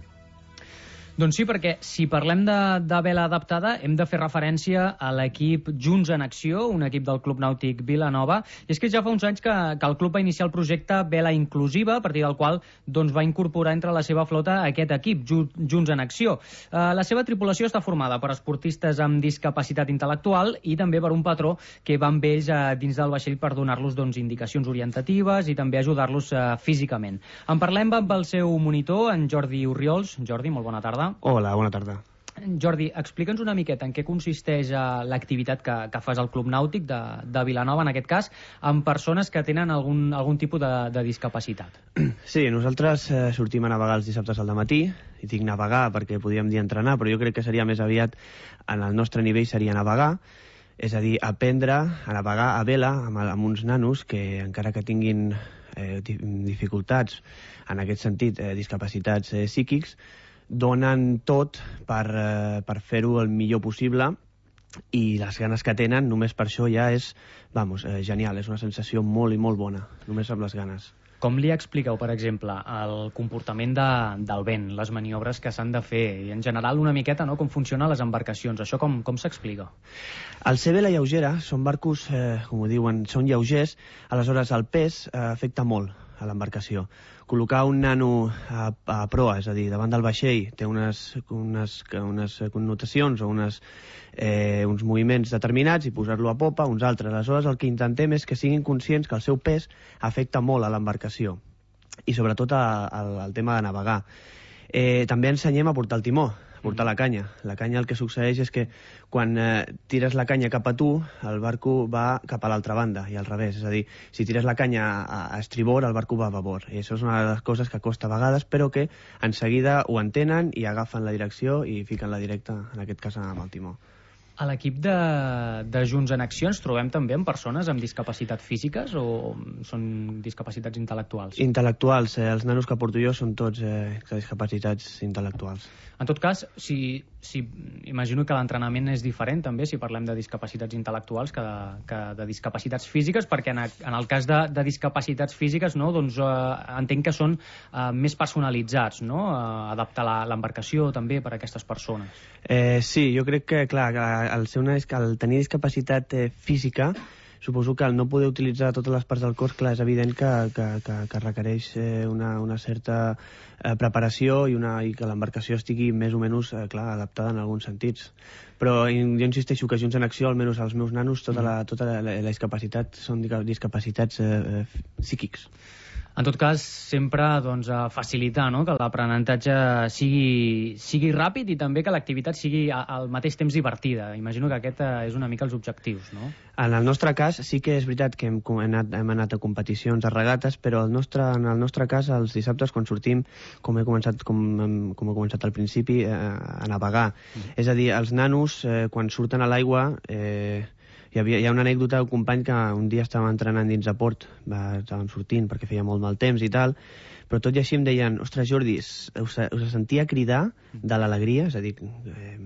Speaker 12: Doncs sí, perquè si parlem de, de vela adaptada hem de fer referència a l'equip Junts en Acció, un equip del Club Nàutic Vilanova, i és que ja fa uns anys que, que el club va iniciar el projecte Vela Inclusiva, a partir del qual doncs, va incorporar entre la seva flota aquest equip, Junts en Acció. Eh, la seva tripulació està formada per esportistes amb discapacitat intel·lectual i també per un patró que va amb ells eh, dins del vaixell per donar-los doncs, indicacions orientatives i també ajudar-los eh, físicament. En parlem amb el seu monitor, en Jordi Orriols. Jordi, molt bona tarda.
Speaker 21: Hola, bona tarda.
Speaker 12: Jordi, explica'ns una miqueta en què consisteix eh, l'activitat que, que fas al Club Nàutic de, de Vilanova, en aquest cas, amb persones que tenen algun, algun tipus de, de discapacitat.
Speaker 21: Sí, nosaltres eh, sortim a navegar els dissabtes al dematí, i dic navegar perquè podríem dir entrenar, però jo crec que seria més aviat, en el nostre nivell seria navegar, és a dir, aprendre a navegar a vela amb, amb uns nanos que, encara que tinguin eh, dificultats, en aquest sentit, eh, discapacitats eh, psíquics, donen tot per, eh, per fer-ho el millor possible i les ganes que tenen, només per això ja és, vamos, eh, genial, és una sensació molt i molt bona, només amb les ganes.
Speaker 12: Com li expliqueu, per exemple, el comportament de, del vent, les maniobres que s'han de fer i en general una miqueta no, com funcionen les embarcacions? Això com, com s'explica?
Speaker 21: Al ser vela lleugera, són barcos, eh, com ho diuen, són lleugers, aleshores el pes eh, afecta molt a l'embarcació. Col·locar un nano a, a proa, és a dir, davant del vaixell, té unes, unes, unes connotacions o unes, eh, uns moviments determinats i posar-lo a popa, uns altres. Aleshores, el que intentem és que siguin conscients que el seu pes afecta molt a l'embarcació i sobretot al tema de navegar. Eh, també ensenyem a portar el timó, a portar la canya. La canya el que succeeix és que quan eh, tires la canya cap a tu, el barco va cap a l'altra banda i al revés. És a dir, si tires la canya a, a estribor, el barco va a babor. I això és una de les coses que costa a vegades, però que en seguida ho entenen i agafen la direcció i fiquen la directa, en aquest cas amb el timó.
Speaker 12: A l'equip de, de Junts en Acció ens trobem també amb persones amb discapacitat físiques o són discapacitats intel·lectuals?
Speaker 21: Intel·lectuals. Eh, els nanos que porto jo són tots eh, discapacitats intel·lectuals.
Speaker 12: En tot cas, si, si, imagino que l'entrenament és diferent també si parlem de discapacitats intel·lectuals que de, que de discapacitats físiques, perquè en, a, en el cas de, de discapacitats físiques no, doncs, eh, entenc que són eh, més personalitzats, no? Eh, adaptar l'embarcació també per a aquestes persones.
Speaker 21: Eh, sí, jo crec que, clar, al, ser una, al tenir discapacitat eh, física, suposo que al no poder utilitzar totes les parts del cos, clar, és evident que, que, que, que requereix eh, una, una certa eh, preparació i, una, i que l'embarcació estigui més o menys eh, clar, adaptada en alguns sentits. Però jo insisteixo que Junts en Acció, almenys els meus nanos, tota la, tota la, la, la discapacitat són discapacitats eh, psíquics.
Speaker 12: En tot cas, sempre doncs, facilitar no? que l'aprenentatge sigui, sigui ràpid i també que l'activitat sigui al mateix temps divertida. Imagino que aquest és una mica els objectius, no?
Speaker 21: En el nostre cas, sí que és veritat que hem, hem, anat, hem anat a competicions, a regates, però el nostre, en el nostre cas, els dissabtes, quan sortim, com he començat, com, com he començat al principi, eh, a navegar. Mm. És a dir, els nanos, eh, quan surten a l'aigua... Eh, Hi, havia, hi ha una anècdota d'un company que un dia estava entrenant dins de port, va, estàvem sortint perquè feia molt mal temps i tal, però tot i així em deien, ostres Jordi, us, us sentia cridar de l'alegria, és a dir, eh,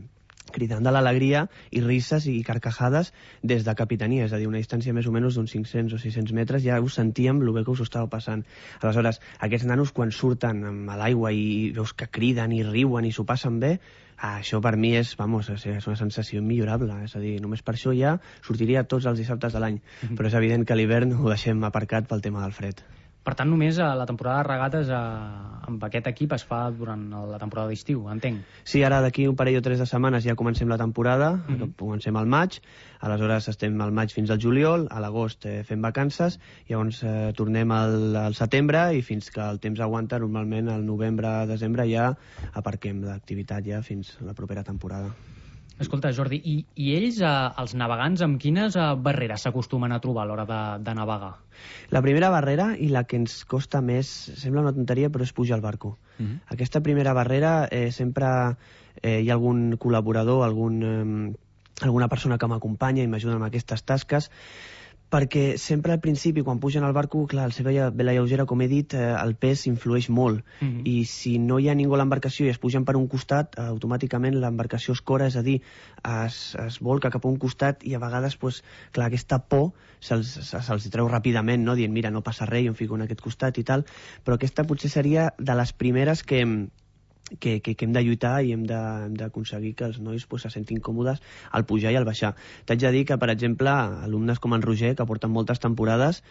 Speaker 21: cridant de l'alegria i risses i carcajades des de Capitania, és a dir, una distància més o menys d'uns cinc-cents o sis-cents metres, ja us sentíem el bé que us estava passant. Aleshores, aquests nanos quan surten a l'aigua i veus que criden i riuen i s'ho passen bé, ah, això per mi és, vamos, és una sensació immillorable, és a dir, només per això ja sortiria tots els dissabtes de l'any, mm-hmm. però és evident que l'hivern ho deixem aparcat pel tema del fred.
Speaker 12: Per tant, només la temporada de regates amb aquest equip es fa durant la temporada d'estiu, entenc.
Speaker 21: Sí, ara d'aquí un parell o tres de setmanes ja comencem la temporada, mm-hmm. comencem al maig, aleshores estem al maig fins al juliol, a l'agost eh, fem vacances, llavors eh, tornem al, al setembre i fins que el temps aguanta, normalment al novembre-desembre ja aparquem l'activitat ja fins a la propera temporada.
Speaker 12: Escolta, Jordi, i, i ells, eh, els navegants, amb quines eh, barreres s'acostumen a trobar a l'hora de, de navegar?
Speaker 21: La primera barrera, i la que ens costa més, sembla una tonteria, però és pujar al barco. Mm-hmm. Aquesta primera barrera eh, sempre eh, hi ha algun col·laborador, algun, eh, alguna persona que m'acompanya i m'ajuda amb aquestes tasques, perquè sempre al principi, quan pugen al barco, clar, al ser vela lleugera, com he dit, eh, el pes influeix molt. Mm-hmm. I si no hi ha ningú a l'embarcació i es pugen per un costat, eh, automàticament l'embarcació es cora, és a dir, es, es volca cap a un costat i a vegades, pues, clar, aquesta por se'ls se, se treu ràpidament, no? Dient, mira, no passa res, jo em fico en aquest costat i tal, però aquesta potser seria de les primeres que... Que, que, que hem de lluitar i hem d'aconseguir que els nois pues, se sentin còmodes al pujar i al baixar. T'haig de dir que, per exemple, alumnes com en Roger, que porten moltes temporades,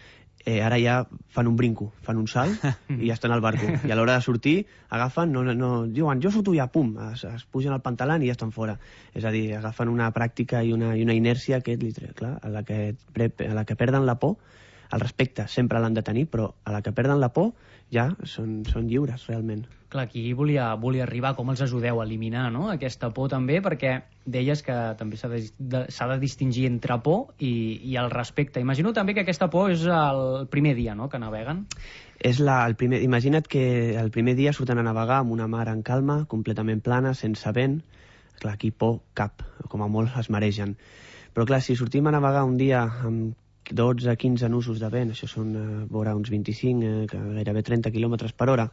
Speaker 21: eh, ara ja fan un brinco, fan un salt i ja estan al barco. I a l'hora de sortir, agafen, no, no, diuen, jo surto ja, pum, es, es pugen al pantalant i ja estan fora. És a dir, agafen una pràctica i una, i una inèrcia que, clar, a la que, a la que perden la por, el respecte sempre l'han de tenir, però a la que perden la por ja són, són lliures, realment.
Speaker 12: Clar, aquí volia, volia arribar, com els ajudeu a eliminar, no?, aquesta por també, perquè deies que també s'ha de, de, s'ha de distingir entre por i, i el respecte. Imagino també que aquesta por és el primer dia, no?, que naveguen.
Speaker 21: És la, el primer, imagina't que el primer dia surten a navegar amb una mar en calma, completament plana, sense vent. Clar, aquí por cap, com a molt es maregen. Però clar, si sortim a navegar un dia amb dotze a quinze nusos de vent, això són eh, vora uns vint-i-cinc, eh, gairebé trenta quilòmetres per hora,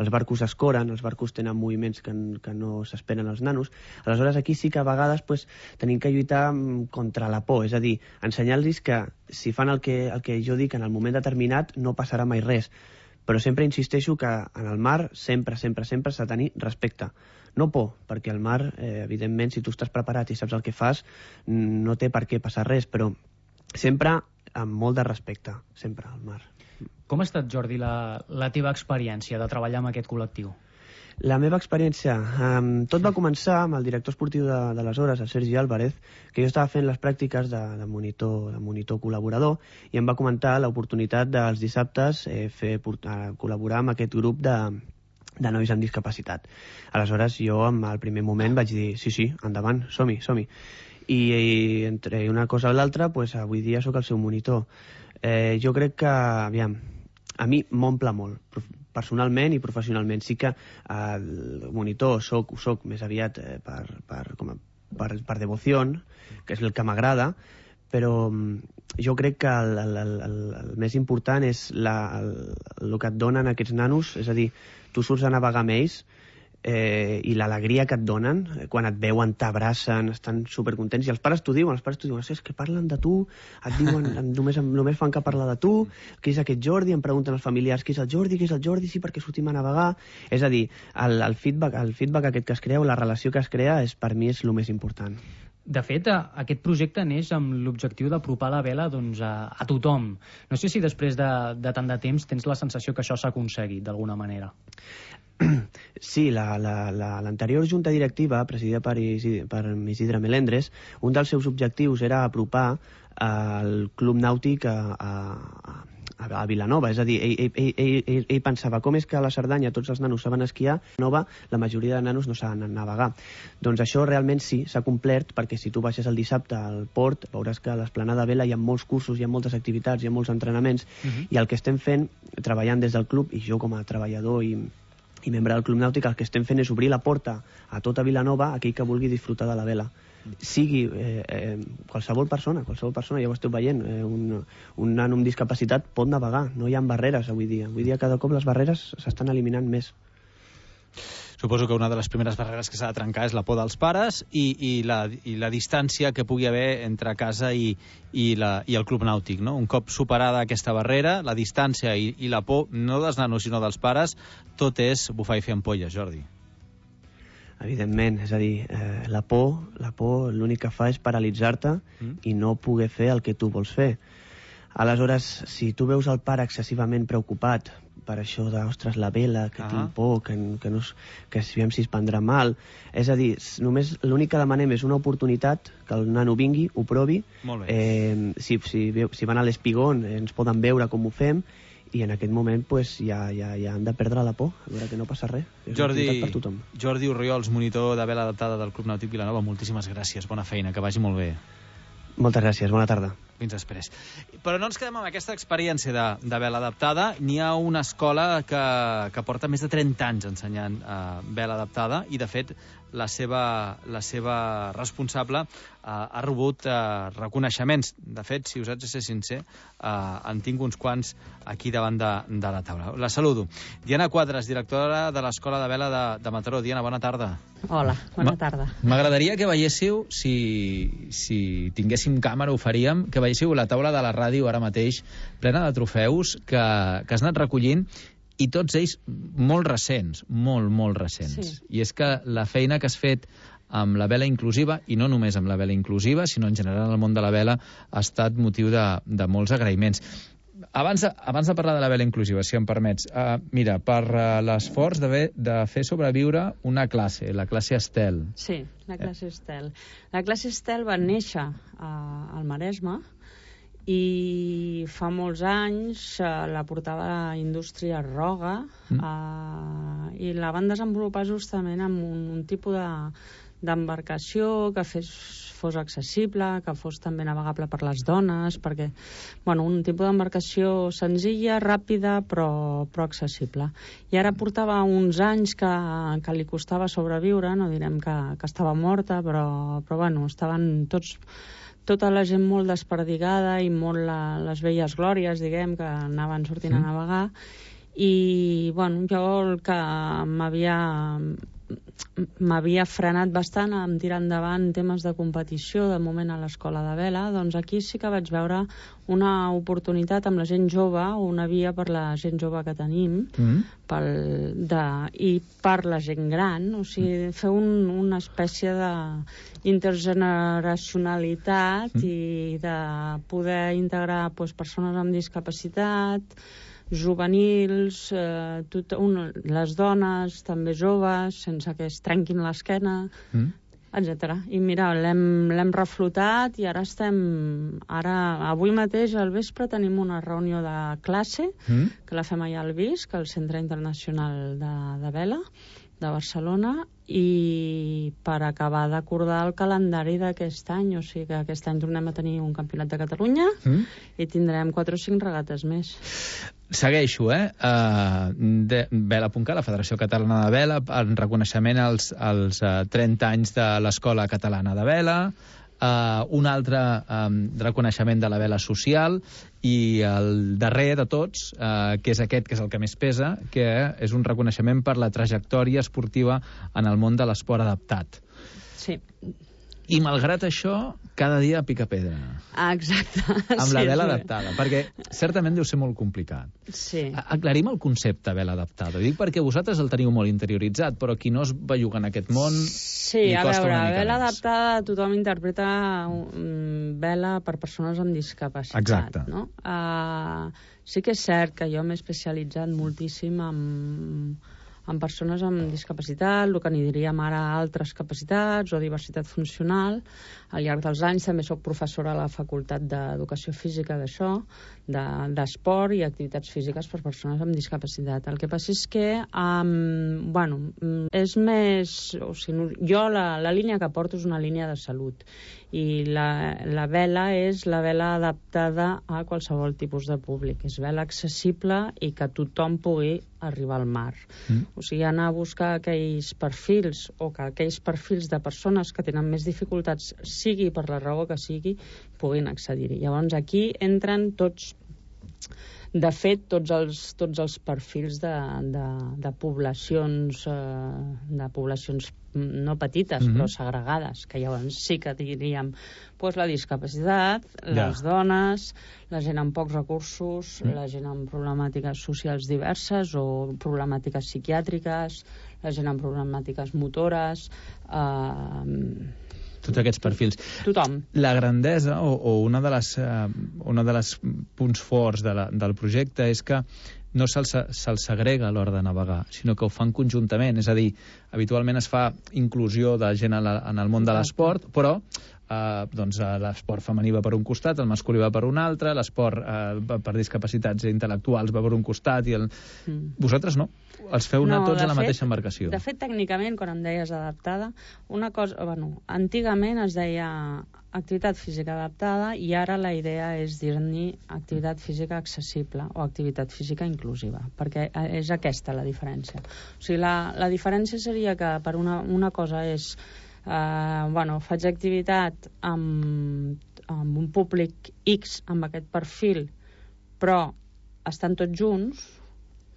Speaker 21: els barcos es coren, els barcos tenen moviments que, que no s'esperen els nanos, aleshores aquí sí que a vegades pues, tenim que lluitar contra la por, és a dir, ensenyar-los que si fan el que, el que jo dic en el moment determinat no passarà mai res, però sempre insisteixo que en el mar sempre, sempre, sempre s'ha de tenir respecte. No por, perquè el mar, eh, evidentment, si tu estàs preparat i saps el que fas, no té per què passar res, però sempre amb molt de respecte, sempre al mar.
Speaker 12: Com ha estat, Jordi, la, la teva experiència de treballar amb aquest col·lectiu?
Speaker 21: La meva experiència, um, tot va començar amb el director esportiu de, de les hores, el Sergi Álvarez, que jo estava fent les pràctiques de, de, monitor, de monitor col·laborador i em va comentar l'oportunitat dels dissabtes eh, fer, portar, col·laborar amb aquest grup de, de nois amb discapacitat. Aleshores jo, al primer moment, vaig dir sí, sí, endavant, som-hi, som-hi. I, i entre una cosa i l'altra, pues, avui dia sóc el seu monitor. Eh, jo crec que, aviam, a mi m'omple molt, personalment i professionalment. Sí que eh, el monitor soc, soc més aviat eh, per, per, com a, per, per devoció, que és el que m'agrada, però jo crec que el, el, el, el, el més important és la, el, el que et donen aquests nanos, és a dir, tu surts a navegar amb ells, Eh, i l'alegria que et donen quan et veuen, t'abracen, estan supercontents i els pares t'ho diuen, els pares t'ho diuen, és que parlen de tu, et diuen, només, només fan que parlar de tu, qui és aquest Jordi, em pregunten els familiars qui és el Jordi, qui és el Jordi, sí, perquè sortim a navegar, és a dir, el, el, feedback, el feedback aquest que es crea o la relació que es crea és, per mi és el més important.
Speaker 12: De fet, aquest projecte neix amb l'objectiu d'apropar la vela doncs, a, a tothom. No sé si després de, de tant de temps tens la sensació que això s'ha aconseguit d'alguna manera.
Speaker 21: Sí, l'anterior la, la, junta directiva, presidida per Isidre, per Isidre Melendres, un dels seus objectius era apropar el club nàutic a, a, a Vilanova. És a dir, ell, ell, ell, ell, ell pensava com és que a la Cerdanya tots els nanos saben esquiar, a Nova la majoria de nanos no saben navegar. Doncs això realment sí, s'ha complert, perquè si tu baixes el dissabte al port veuràs que a l'Esplanada Vela hi ha molts cursos, hi ha moltes activitats, hi ha molts entrenaments, uh-huh. i el que estem fent, treballant des del club, i jo com a treballador i i membre del Club Nàutic, el que estem fent és obrir la porta a tota Vilanova, aquell que vulgui disfrutar de la vela. Sigui eh, eh, qualsevol persona, qualsevol persona, ja ho esteu veient, eh, un, un nano amb discapacitat pot navegar, no hi ha barreres avui dia. Avui dia cada cop les barreres s'estan eliminant més.
Speaker 9: suposo que una de les primeres barreres que s'ha de trencar és la por dels pares i, i, la, i la distància que pugui haver entre casa i, i, la, i el club nàutic, no? Un cop superada aquesta barrera, la distància i, i la por, no dels nanos sinó dels pares, tot és bufar i fer ampolles, Jordi.
Speaker 21: Evidentment, és a dir, eh, la por, la por l'únic que fa és paralitzar-te mm. i no poder fer el que tu vols fer. Aleshores, si tu veus el pare excessivament preocupat per això de, ostres, la vela, que ah. tinc por, que, que, no, que si si es prendrà mal, és a dir, només l'únic que demanem és una oportunitat, que el nano vingui, ho provi, eh, si, si, si van a l'espigón ens poden veure com ho fem, i en aquest moment pues, ja, ja, ja han de perdre la por, a veure que no passa res. És
Speaker 9: Jordi,
Speaker 21: per tothom.
Speaker 9: Jordi Orriols, monitor de vela adaptada del Club Nàutic Vilanova, moltíssimes gràcies, bona feina, que vagi molt bé.
Speaker 21: Moltes gràcies, bona tarda.
Speaker 9: Fins després. Però no ens quedem amb aquesta experiència de, de vela adaptada. N'hi ha una escola que, que porta més de trenta anys ensenyant uh, vela adaptada i, de fet, la seva, la seva responsable uh, ha rebut uh, reconeixements. De fet, si us haig de ser sincer, uh, en tinc uns quants aquí davant de, de la taula. La saludo. Diana Quadres, directora de l'Escola de Vela de, de Mataró. Diana, bona tarda.
Speaker 5: Hola, bona tarda.
Speaker 22: M'agradaria que veiéssiu, si, si tinguéssim càmera ho faríem, que veiéssiu la taula de la ràdio ara mateix plena de trofeus que, que has anat recollint, i tots ells molt recents, molt, molt recents. Sí. I és que la feina que has fet amb la vela inclusiva, i no només amb la vela inclusiva, sinó en general en el món de la vela, ha estat motiu de, de molts agraïments. Abans de, abans de parlar de la vela inclusiva, si em permets, uh, mira, per uh, l'esforç de, de fer sobreviure una classe, la classe Estel.
Speaker 5: Sí, la classe Estel. La classe Estel va néixer uh, al Maresme, i fa molts anys uh, la portava a la indústria Roga mm. uh, i la van desenvolupar justament amb un, un tipus de d'embarcació que fes, fos accessible, que fos també navegable per les dones, perquè, bueno, un tipus d'embarcació senzilla, ràpida, però, però accessible. I ara portava uns anys que, que li costava sobreviure, no direm que, que estava morta, però, però bueno, estaven tots, tota la gent molt desperdigada i molt la, les velles glòries, diguem, que anaven sortint mm. a navegar, i, bueno, jo el que m'havia m'havia frenat bastant en tirar endavant temes de competició de moment a l'escola de vela, doncs aquí sí que vaig veure una oportunitat amb la gent jove, una via per la gent jove que tenim mm. pel, de, i per la gent gran, o sigui, fer un, una espècie d'intergeneracionalitat mm. i de poder integrar doncs, persones amb discapacitat, juvenils, eh, tot un, les dones, també joves, sense que es trenquin l'esquena, mm. etcètera. I mira, l'hem reflotat i ara estem... Ara, avui mateix, al vespre, tenim una reunió de classe, mm. que la fem allà al Visc, al Centre Internacional de, de Vela, de Barcelona, i per acabar d'acordar el calendari d'aquest any, o sigui que aquest any tornem a tenir un campionat de Catalunya mm. i tindrem quatre o cinc regates més.
Speaker 22: Segueixo, eh? Uh, de Vela punt cat, la Federació Catalana de Vela, en reconeixement als, als uh, trenta anys de l'Escola Catalana de Vela, uh, un altre um, reconeixement de la vela social, i el darrer de tots, uh, que és aquest, que és el que més pesa, que és un reconeixement per la trajectòria esportiva en el món de l'esport adaptat.
Speaker 5: Sí.
Speaker 22: I malgrat això, cada dia pica pedra.
Speaker 5: Ah, exacte.
Speaker 22: Amb
Speaker 5: sí,
Speaker 22: la vela
Speaker 5: sí.
Speaker 22: adaptada, perquè certament deu ser molt complicat.
Speaker 5: Sí.
Speaker 22: Aclarim el concepte vela adaptada. Dic perquè vosaltres el teniu molt interioritzat, però qui no es belluga en aquest món...
Speaker 5: Sí, a veure, vela adaptada tothom interpreta um, vela per persones amb discapacitat.
Speaker 22: Exacte.
Speaker 5: No? Uh, sí que és cert que jo m'he especialitzat moltíssim en... en persones amb discapacitat, el que n'hi diríem ara altres capacitats o diversitat funcional. Al llarg dels anys també soc professora a la Facultat d'Educació Física d'això, d'esport i activitats físiques per persones amb discapacitat. El que passa és que, um, bueno, és més... O sigui, jo la, la línia que porto és una línia de salut i la, la vela és la vela adaptada a qualsevol tipus de públic. És vela accessible i que tothom pugui arribar al mar. Mm. O sigui, anar a buscar aquells perfils o que aquells perfils de persones que tenen més dificultats, sigui per la raó que sigui, puguin accedir-hi. Llavors aquí entren tots De fet, tots els, tots els perfils de, de, de poblacions, eh, de poblacions no petites,
Speaker 22: Mhm.
Speaker 5: però segregades, que llavors sí que diríem pues, la discapacitat,
Speaker 22: Ja.
Speaker 5: les dones, la gent amb pocs recursos,
Speaker 22: Mm.
Speaker 5: la gent amb problemàtiques socials diverses o problemàtiques psiquiàtriques, la gent amb problemàtiques motores, eh,
Speaker 22: Tots aquests perfils.
Speaker 5: tothom.
Speaker 22: La grandesa o, o una de les, eh, una de les punts forts de la, del projecte és que no se'ls se segrega a l'hora de navegar, sinó que ho fan conjuntament. És a dir, habitualment es fa inclusió de gent en, la, en el món de l'esport, però eh, doncs, eh, l'esport femení va per un costat, el masculí va per un altre, l'esport eh, per discapacitats intel·lectuals va per un costat, i el...
Speaker 5: Mm.
Speaker 22: Vosaltres no? Els feu anar
Speaker 5: No,
Speaker 22: tots
Speaker 5: de
Speaker 22: a la
Speaker 5: fet-
Speaker 22: mateixa embarcació.
Speaker 5: De fet, tècnicament, quan em deies adaptada, una cosa, bueno, antigament es deia activitat física adaptada i ara la idea és dir-ne activitat física accessible o activitat física inclusiva, perquè és aquesta la diferència. O sigui, la, la diferència seria que per una, una cosa és eh, bueno, faig activitat amb, amb un públic X, amb aquest perfil, però estan tots junts,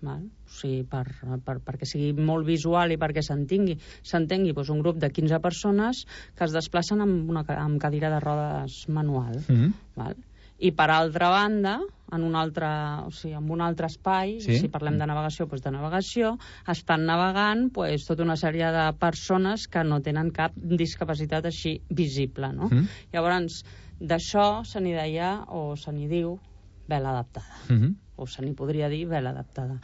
Speaker 5: val? O sigui, per, per, perquè sigui molt visual i perquè s'entengui s'entengui doncs, un grup de quinze persones que es desplacen amb, una, amb cadira de rodes manual.
Speaker 22: Mhm.
Speaker 5: Val? I per altra banda, en un altre, o sigui, en un altre espai,
Speaker 22: Sí.
Speaker 5: si parlem de navegació, doncs de navegació, estan navegant doncs, tota una sèrie de persones que no tenen cap discapacitat així visible, no?
Speaker 22: Mhm.
Speaker 5: Llavors, d'això se n'hi deia, o se n'hi diu, vela adaptada.
Speaker 22: Mhm.
Speaker 5: O se n'hi podria dir vela adaptada.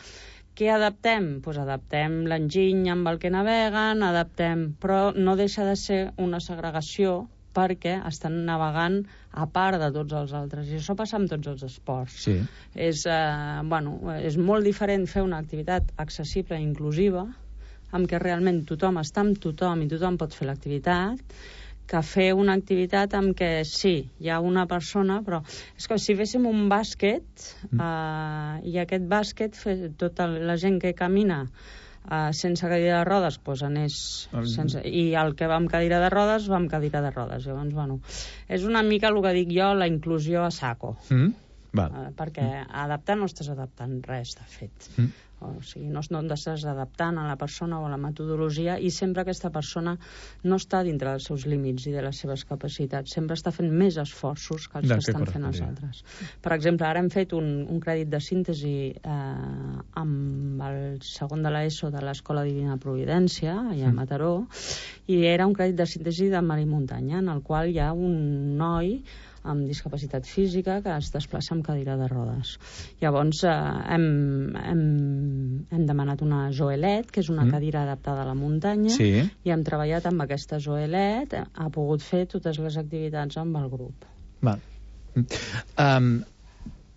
Speaker 5: Què adaptem? Doncs adaptem l'enginy amb el que naveguen, adaptem, però no deixa de ser una segregació perquè estan navegant a part de tots els altres. I això passa amb tots els esports.
Speaker 22: Sí.
Speaker 5: És, eh, bueno, és molt diferent fer una activitat accessible i inclusiva, amb què realment tothom està amb tothom i tothom pot fer l'activitat, que fer una activitat amb què sí, hi ha una persona, però és com si féssim un bàsquet
Speaker 22: Mm.
Speaker 5: eh, i aquest bàsquet, fe, tota la gent que camina Uh, sense cadira de rodes doncs anés sense... i el que va amb cadira de rodes va amb cadira de rodes. Llavors, bueno, és una mica el que dic jo, la inclusió a saco.
Speaker 22: Mm? Val.
Speaker 5: Uh, perquè adaptar no estàs adaptant res, de fet.
Speaker 22: Mm.
Speaker 5: O sigui, no, no estàs adaptant a la persona o a la metodologia, i sempre aquesta persona no està dintre dels seus límits i de les seves capacitats, sempre està fent més esforços que els
Speaker 22: De
Speaker 5: que
Speaker 22: què
Speaker 5: estan fent els
Speaker 22: correspondria.
Speaker 5: altres. Per exemple, ara hem fet un, un crèdit de síntesi eh, amb el segon de l'ESO de l'Escola Divina Providència, allà a Mataró, i era un crèdit de síntesi de mar i muntanya, en el qual hi ha un noi amb discapacitat física que es desplaça amb cadira de rodes. Llavors eh, hem, hem, hem demanat una Joelet, que és una
Speaker 22: Mm.
Speaker 5: cadira adaptada a la muntanya,
Speaker 22: Sí.
Speaker 5: i hem treballat amb aquesta Joelet, ha pogut fer totes les activitats amb el grup.
Speaker 22: Val. Um,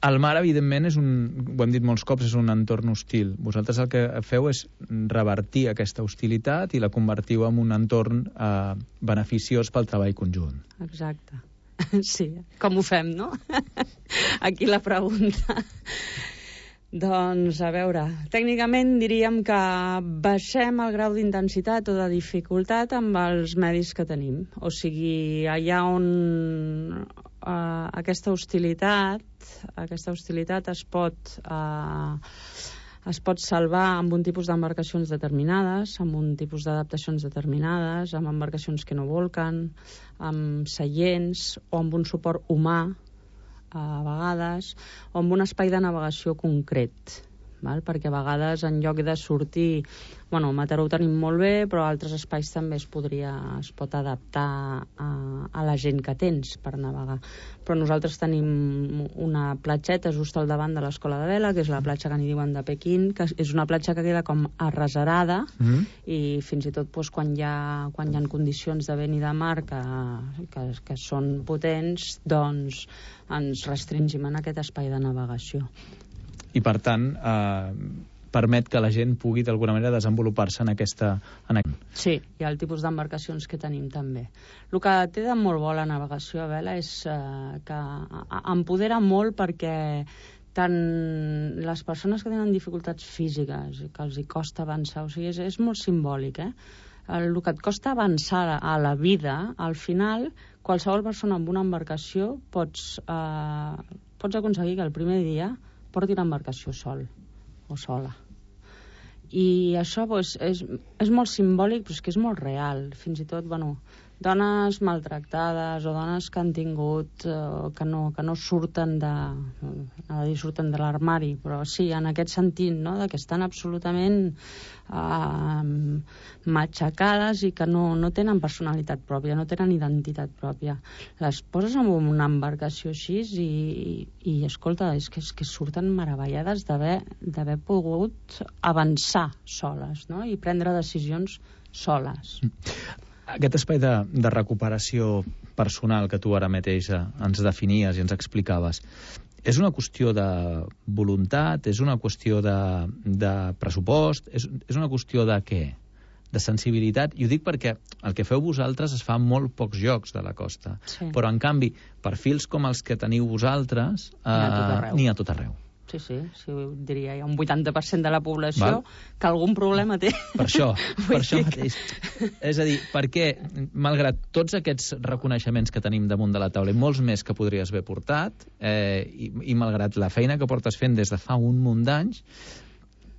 Speaker 22: el mar, evidentment, és un, ho hem dit molts cops, és un entorn hostil. Vosaltres el que feu és revertir aquesta hostilitat i la convertiu en un entorn eh, beneficiós pel treball conjunt.
Speaker 5: Exacte. Sí, com ho fem, no? Aquí la pregunta. Doncs, a veure, tècnicament diríem que baixem el grau d'intensitat o de dificultat amb els medis que tenim. O sigui, allà on uh, aquesta hostilitat, aquesta hostilitat es pot... Uh, es pot salvar amb un tipus d'embarcacions determinades, amb un tipus d'adaptacions determinades, amb embarcacions que no volquen, amb seients o amb un suport humà a vegades, o amb un espai de navegació concret, val? Perquè a vegades en lloc de sortir, bueno, a Mataró ho tenim molt bé, però a altres espais també es podria, es pot adaptar a, a la gent que tens per navegar. Però nosaltres tenim una platgeta just al davant de l'Escola de Vela, que és la platja que n'hi diuen de Pequín, que és una platja que queda com arreserada,
Speaker 22: Mm.
Speaker 5: i fins i tot doncs, quan, hi ha, quan hi ha condicions de vent i de mar que, que, que són potents, doncs ens restringim en aquest espai de navegació.
Speaker 22: I, per tant, eh, permet que la gent pugui, d'alguna manera, desenvolupar-se en aquesta... En...
Speaker 5: Sí, hi ha el tipus d'embarcacions que tenim també. El que té de molt bo la navegació a vela és eh, que empodera molt, perquè tant les persones que tenen dificultats físiques i que els hi costa avançar, o sigui, és, és molt simbòlic, eh? El que et costa avançar a la vida, al final, qualsevol persona amb una embarcació pots, eh, pots aconseguir que el primer dia porti l'embarcació sol o sola. I això doncs, és, és molt simbòlic, però és que és molt real. Fins i tot, bueno, dones maltractades o dones que han tingut, eh, que, no, que no surten de, no dir surten de l'armari, però sí, en aquest sentit, no?, de que estan absolutament eh, matxacades i que no, no tenen personalitat pròpia, no tenen identitat pròpia. Les poses en una embarcació així i, i, i escolta, és que, és que surten meravellades d'haver pogut avançar soles, no?, i prendre decisions soles.
Speaker 22: Aquest espai de, de recuperació personal que tu ara mateix ens definies i ens explicaves, és una qüestió de voluntat, és una qüestió de, de pressupost, és, és una qüestió de què? De sensibilitat? I ho dic perquè el que feu vosaltres es fa en molt pocs llocs de la costa. Sí. Però, en canvi, perfils com els que teniu vosaltres eh, n'hi ha a tot arreu.
Speaker 5: Sí, sí, sí, diria, hi ha un vuitanta per cent de la població Val. que algun problema té.
Speaker 22: Per això, per això mateix. És a dir, perquè, malgrat tots aquests reconeixements que tenim damunt de la taula i molts més que podries haver portat, eh, i, i malgrat la feina que portes fent des de fa un munt d'anys,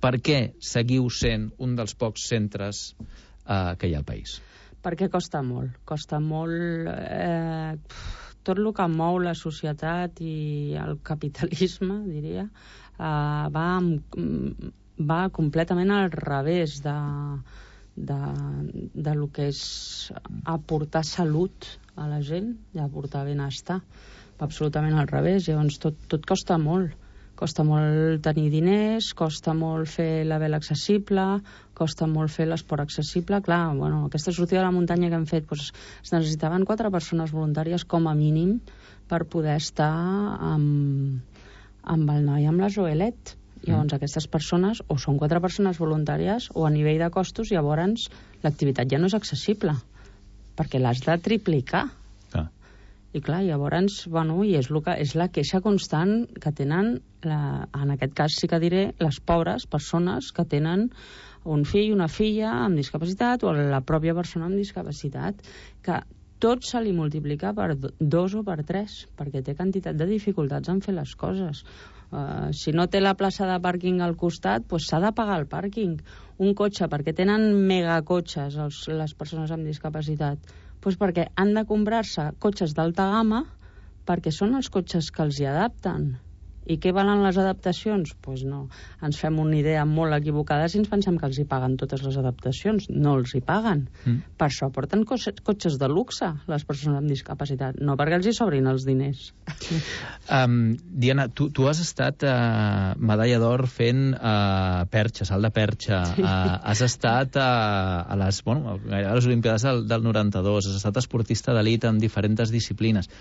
Speaker 22: per què seguiu sent un dels pocs centres eh, que hi ha al país?
Speaker 5: Perquè costa molt, costa molt... Eh, tot el que mou la societat i el capitalisme, diria, eh, va, va completament al revés de, de, de lo que és aportar salut a la gent i aportar benestar. Va absolutament al revés. Llavors tot, tot costa molt. Costa molt tenir diners, costa molt fer la vela accessible, costa molt fer l'esport accessible. Clar, bueno, aquesta sortida de la muntanya que hem fet, doncs, es necessitaven quatre persones voluntàries com a mínim per poder estar amb, amb el noi amb la Joelet. Llavors, mm. aquestes persones o són quatre persones voluntàries o a nivell de costos, llavors l'activitat ja no és accessible, perquè l'has de triplicar. I clar, llavors, bueno, i és, que, és la queixa constant que tenen, la, en aquest cas sí que diré, les pobres persones que tenen un fill, una filla amb discapacitat o la pròpia persona amb discapacitat, que tot se li multiplica per dos o per tres, perquè té quantitat de dificultats en fer les coses. Uh, si no té la plaça de pàrquing al costat, doncs s'ha de pagar el pàrquing. Un cotxe, perquè tenen megacotxes els, les persones amb discapacitat, doncs perquè han de comprar-se cotxes d'alta gamma perquè són els cotxes que els hi adapten. I què valen les adaptacions? Doncs pues no. Ens fem una idea molt equivocada si ens pensem que els hi paguen totes les adaptacions. No els hi paguen. Mm. Per això porten cotxes de luxe les persones amb discapacitat, no perquè els hi sobrin els diners.
Speaker 22: Um, Diana, tu, tu has estat uh, medalla d'or fent uh, perxa, salt de perxa. Sí. Uh, has estat uh, a, les, bueno, a les Olimpiades del, del noranta-dos, has estat esportista d'elit en diferents disciplines.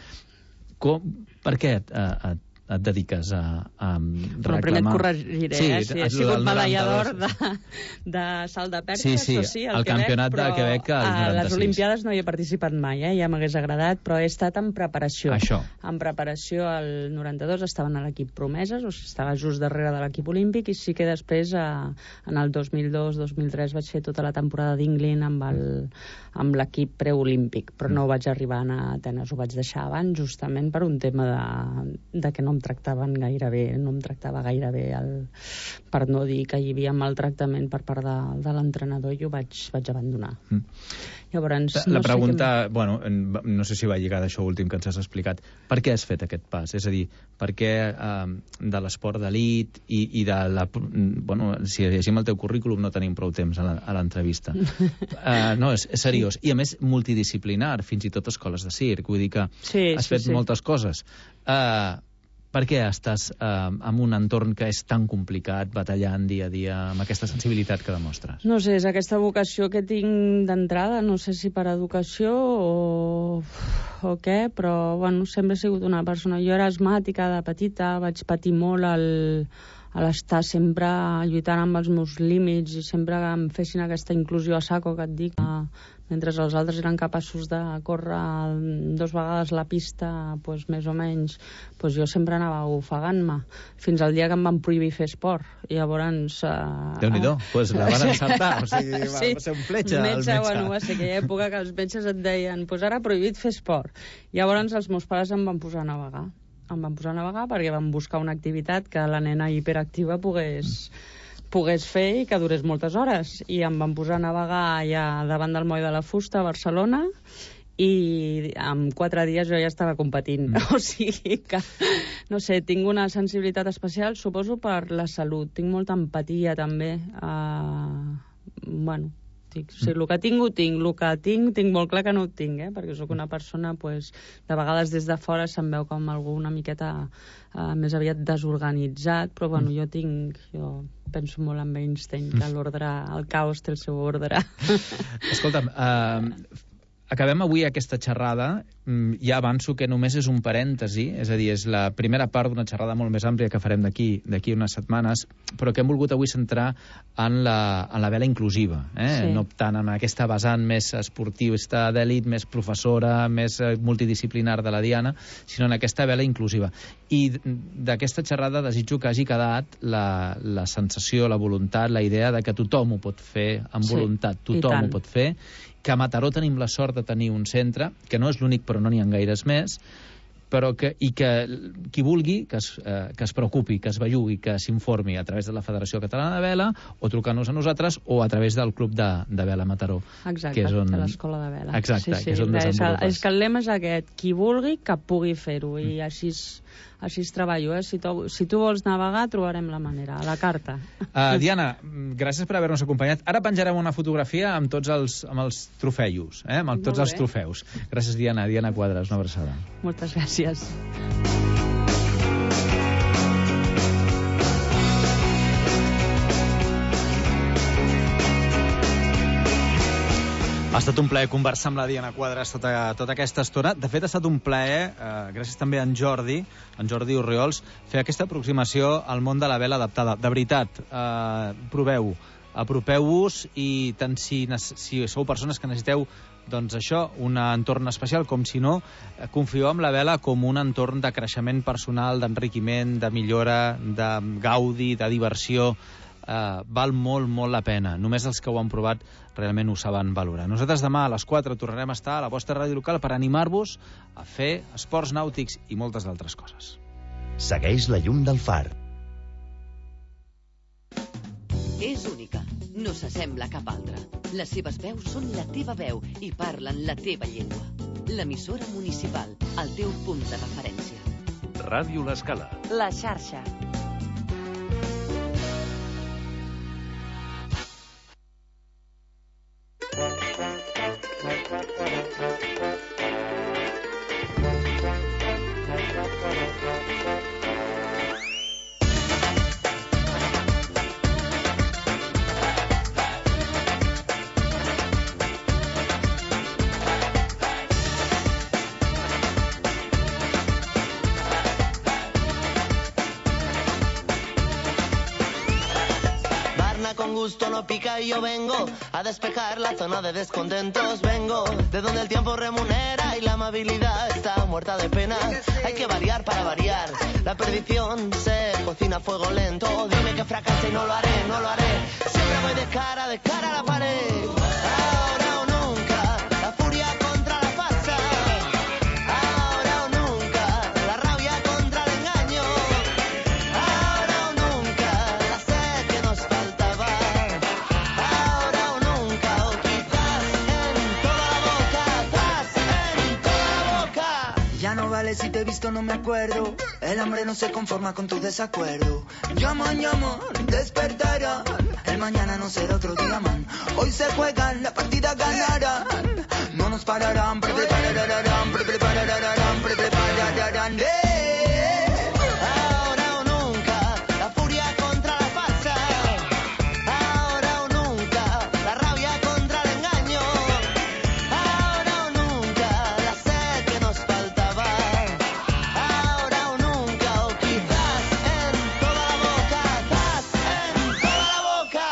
Speaker 22: Com, per què et, uh, et et dediques a, a reclamar...
Speaker 5: Però primer et corregiré, sí, eh? Sí, he sigut medalla d'or de, de salt de perxa,
Speaker 22: sí, sí,
Speaker 5: això sí, al
Speaker 22: el
Speaker 5: Quebec,
Speaker 22: campionat
Speaker 5: però
Speaker 22: de Quebec al noranta-sis.
Speaker 5: A les Olimpiades no hi he participat mai, eh? Ja m'hagués agradat, però he estat en preparació.
Speaker 22: Això.
Speaker 5: En preparació al noranta-dos estaven a l'equip Promeses, o sigui, estava just darrere de l'equip olímpic, i sí que després, a, en el dos mil dos dos mil tres, vaig fer tota la temporada d'Inglin amb el amb l'equip preolímpic, però no vaig arribar a anar a Atenes, ho vaig deixar abans justament per un tema de, de que no em tractaven gaire bé, no em tractava gaire bé el, per no dir que hi havia maltractament per part de, de l'entrenador, i ho vaig, vaig abandonar. Mm. Llavors,
Speaker 22: la
Speaker 5: no
Speaker 22: pregunta,
Speaker 5: sé que...
Speaker 22: bueno, no sé si va lligar d'això últim que ens has explicat, per què has fet aquest pas? És a dir, per què eh, de l'esport d'elit i, i de la... Bueno, si llegim el teu currículum no tenim prou temps a l'entrevista. uh, no, és, és seriós. I a més, multidisciplinar, fins i tot escoles de circ. Vull dir que
Speaker 5: sí,
Speaker 22: has
Speaker 5: sí,
Speaker 22: fet
Speaker 5: sí.
Speaker 22: moltes coses. Uh, Per què estàs eh, en un entorn que és tan complicat, batallant dia a dia, amb aquesta sensibilitat que demostres?
Speaker 5: No sé, és aquesta vocació que tinc d'entrada, no sé si per educació o, o què, però bueno, sempre he sigut una persona... Jo era asmàtica de petita, vaig patir molt al, a l'estar sempre lluitant amb els meus límits i sempre que em fessin aquesta inclusió a saco que et dic, eh, mentre els altres eren capaços de córrer dos vegades la pista, doncs, més o menys, doncs jo sempre anava ofegant-me, fins al dia que em van prohibir fer esport. I llavors... Uh,
Speaker 22: Déu-n'hi-do, uh, pues la van encertar, o sigui, va,
Speaker 5: sí,
Speaker 22: va ser un fletxa
Speaker 5: metge,
Speaker 22: el metge.
Speaker 5: Bueno, va ser aquella època que els metges et deien, pues ara prohibit fer esport. Llavors els meus pares em van posar a navegar em van posar a navegar perquè vam buscar una activitat que la nena hiperactiva pogués, pogués fer i que durés moltes hores. I em van posar a navegar allà davant del Moll de la Fusta, a Barcelona, i en quatre dies jo ja estava competint. Mm. O sigui que, no sé, tinc una sensibilitat especial, suposo, per la salut. Tinc molta empatia, també. Uh, bueno, dic, o sigui, el que tinc, ho tinc. El que tinc, tinc molt clar que no ho tinc, eh? Perquè sóc una persona, pues, de vegades des de fora se'm veu com algú una miqueta uh, més aviat desorganitzat, però bueno, jo tinc... Jo penso molt en Einstein, que l'ordre, el caos té el seu ordre.
Speaker 22: Escolta'm, uh, acabem avui aquesta xerrada. Ja avanço que només és un parèntesi, és a dir, és la primera part d'una xerrada molt més àmplia que farem d'aquí d'aquí unes setmanes, però que hem volgut avui centrar en la, en la vela inclusiva, eh? Sí. No tant en aquesta vessant més esportivista d'elit, més professora, més multidisciplinar de la Diana, sinó en aquesta vela inclusiva. I d'aquesta xerrada desitjo que hagi quedat la, la sensació, la voluntat, la idea de que tothom ho pot fer amb voluntat, sí, tothom ho pot fer, que a Mataró tenim la sort de tenir un centre, que no és l'únic però no n'hi ha gaires més, però que, i que qui vulgui que es, eh, que es preocupi, que es bellugui, que s'informi a través de la Federació Catalana de Vela o trucant-nos a nosaltres o a través del Club de, de Vela Mataró.
Speaker 5: Exacte,
Speaker 22: que és on...
Speaker 5: de l'Escola de Vela.
Speaker 22: Exacte,
Speaker 5: sí, sí.
Speaker 22: que és on desenvolupes.
Speaker 5: És que el lema és aquest, qui vulgui que pugui fer-ho, i així així es treballo, eh? Si tu, si tu vols navegar, trobarem la manera, a la carta.
Speaker 22: Uh, Diana, gràcies per haver-nos acompanyat. Ara penjarem una fotografia amb tots els, amb els trofeus, eh? amb tots els trofeus. Gràcies, Diana. Diana Quadras, una abraçada.
Speaker 5: Moltes gràcies.
Speaker 9: Ha estat un plaer conversar amb la Diana Quadras tota, tota aquesta estona. De fet, ha estat un plaer, eh, gràcies també a en Jordi, en Jordi Orriols, fer aquesta aproximació al món de la vela adaptada. De veritat, eh, proveu, apropeu-vos, i tant si, si sou persones que necessiteu doncs això, un entorn especial, com si no, confieu en la vela com un entorn de creixement personal, d'enriquiment, de millora, de gaudi, de diversió. Uh, val molt, molt la pena. Només els que ho han provat realment ho saben valorar. Nosaltres demà a les quatre tornarem a estar a la vostra ràdio local per animar-vos a fer esports nàutics i moltes d'altres coses.
Speaker 20: Segueix la llum del far.
Speaker 16: És única, no s'assembla a cap altra. Les seves veus són la teva veu i parlen la teva llengua. L'emissora municipal, el teu punt de referència.
Speaker 2: Ràdio L'Escala.
Speaker 10: La xarxa.
Speaker 4: Con gusto no pica y yo vengo a despejar la zona de descontentos. Vengo de donde el tiempo remunera y la amabilidad está muerta de pena. Hay que variar para variar. La perdición se cocina a fuego lento. Dime que fracasa y no lo haré, no lo haré. Siempre voy de cara, de cara a la pared. Ahora o nunca, la furia contra la farsa. Ahora o nunca, la rabia contra el engaño. Ahora o nunca, la sed que nos faltaba. Ahora o nunca, o quizás en toda la boca, atrás, en toda la boca.
Speaker 19: Ya no vale si te he visto, no me acuerdo. El hambre no se conforma con tu desacuerdo. Llaman, llaman, despertarán. El mañana no será otro día, man. Hoy se juegan, la partida ganarán. No nos pararán, pre prepararán, pre prepararán, pre prepararán.
Speaker 4: Ahora o nunca, la furia contra la farsa. Ahora o nunca, la rabia contra el engaño. Ahora o nunca, la sed que nos faltaba. Ahora o nunca, o quizás en toda la boca, atrás, en toda la boca.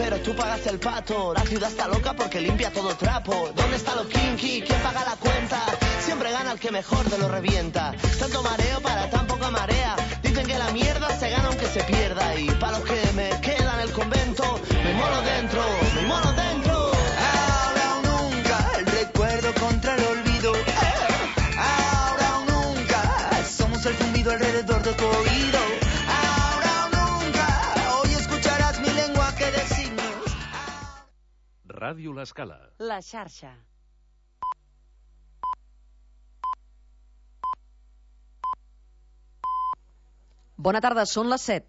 Speaker 4: pero tú pagas el pato. La ciudad está loca porque limpia todo trapo. ¿Dónde está lo kinky? ¿Quién paga la cuenta? Siempre gana el que mejor te lo revienta. Tanto mareo para tan poca marea. Dicen que la mierda se gana aunque se pierda. Y para los que me quedan en el convento, me molo dentro, me molo dentro.
Speaker 19: Ahora o nunca, el recuerdo contra el olvido. Ahora o nunca, somos el zumbido alrededor de tu oído. Ahora o nunca, hoy escucharás mi lenguaje de signos.
Speaker 2: Ràdio L'Escala.
Speaker 10: La xarxa.
Speaker 16: Bona tarda, són les set.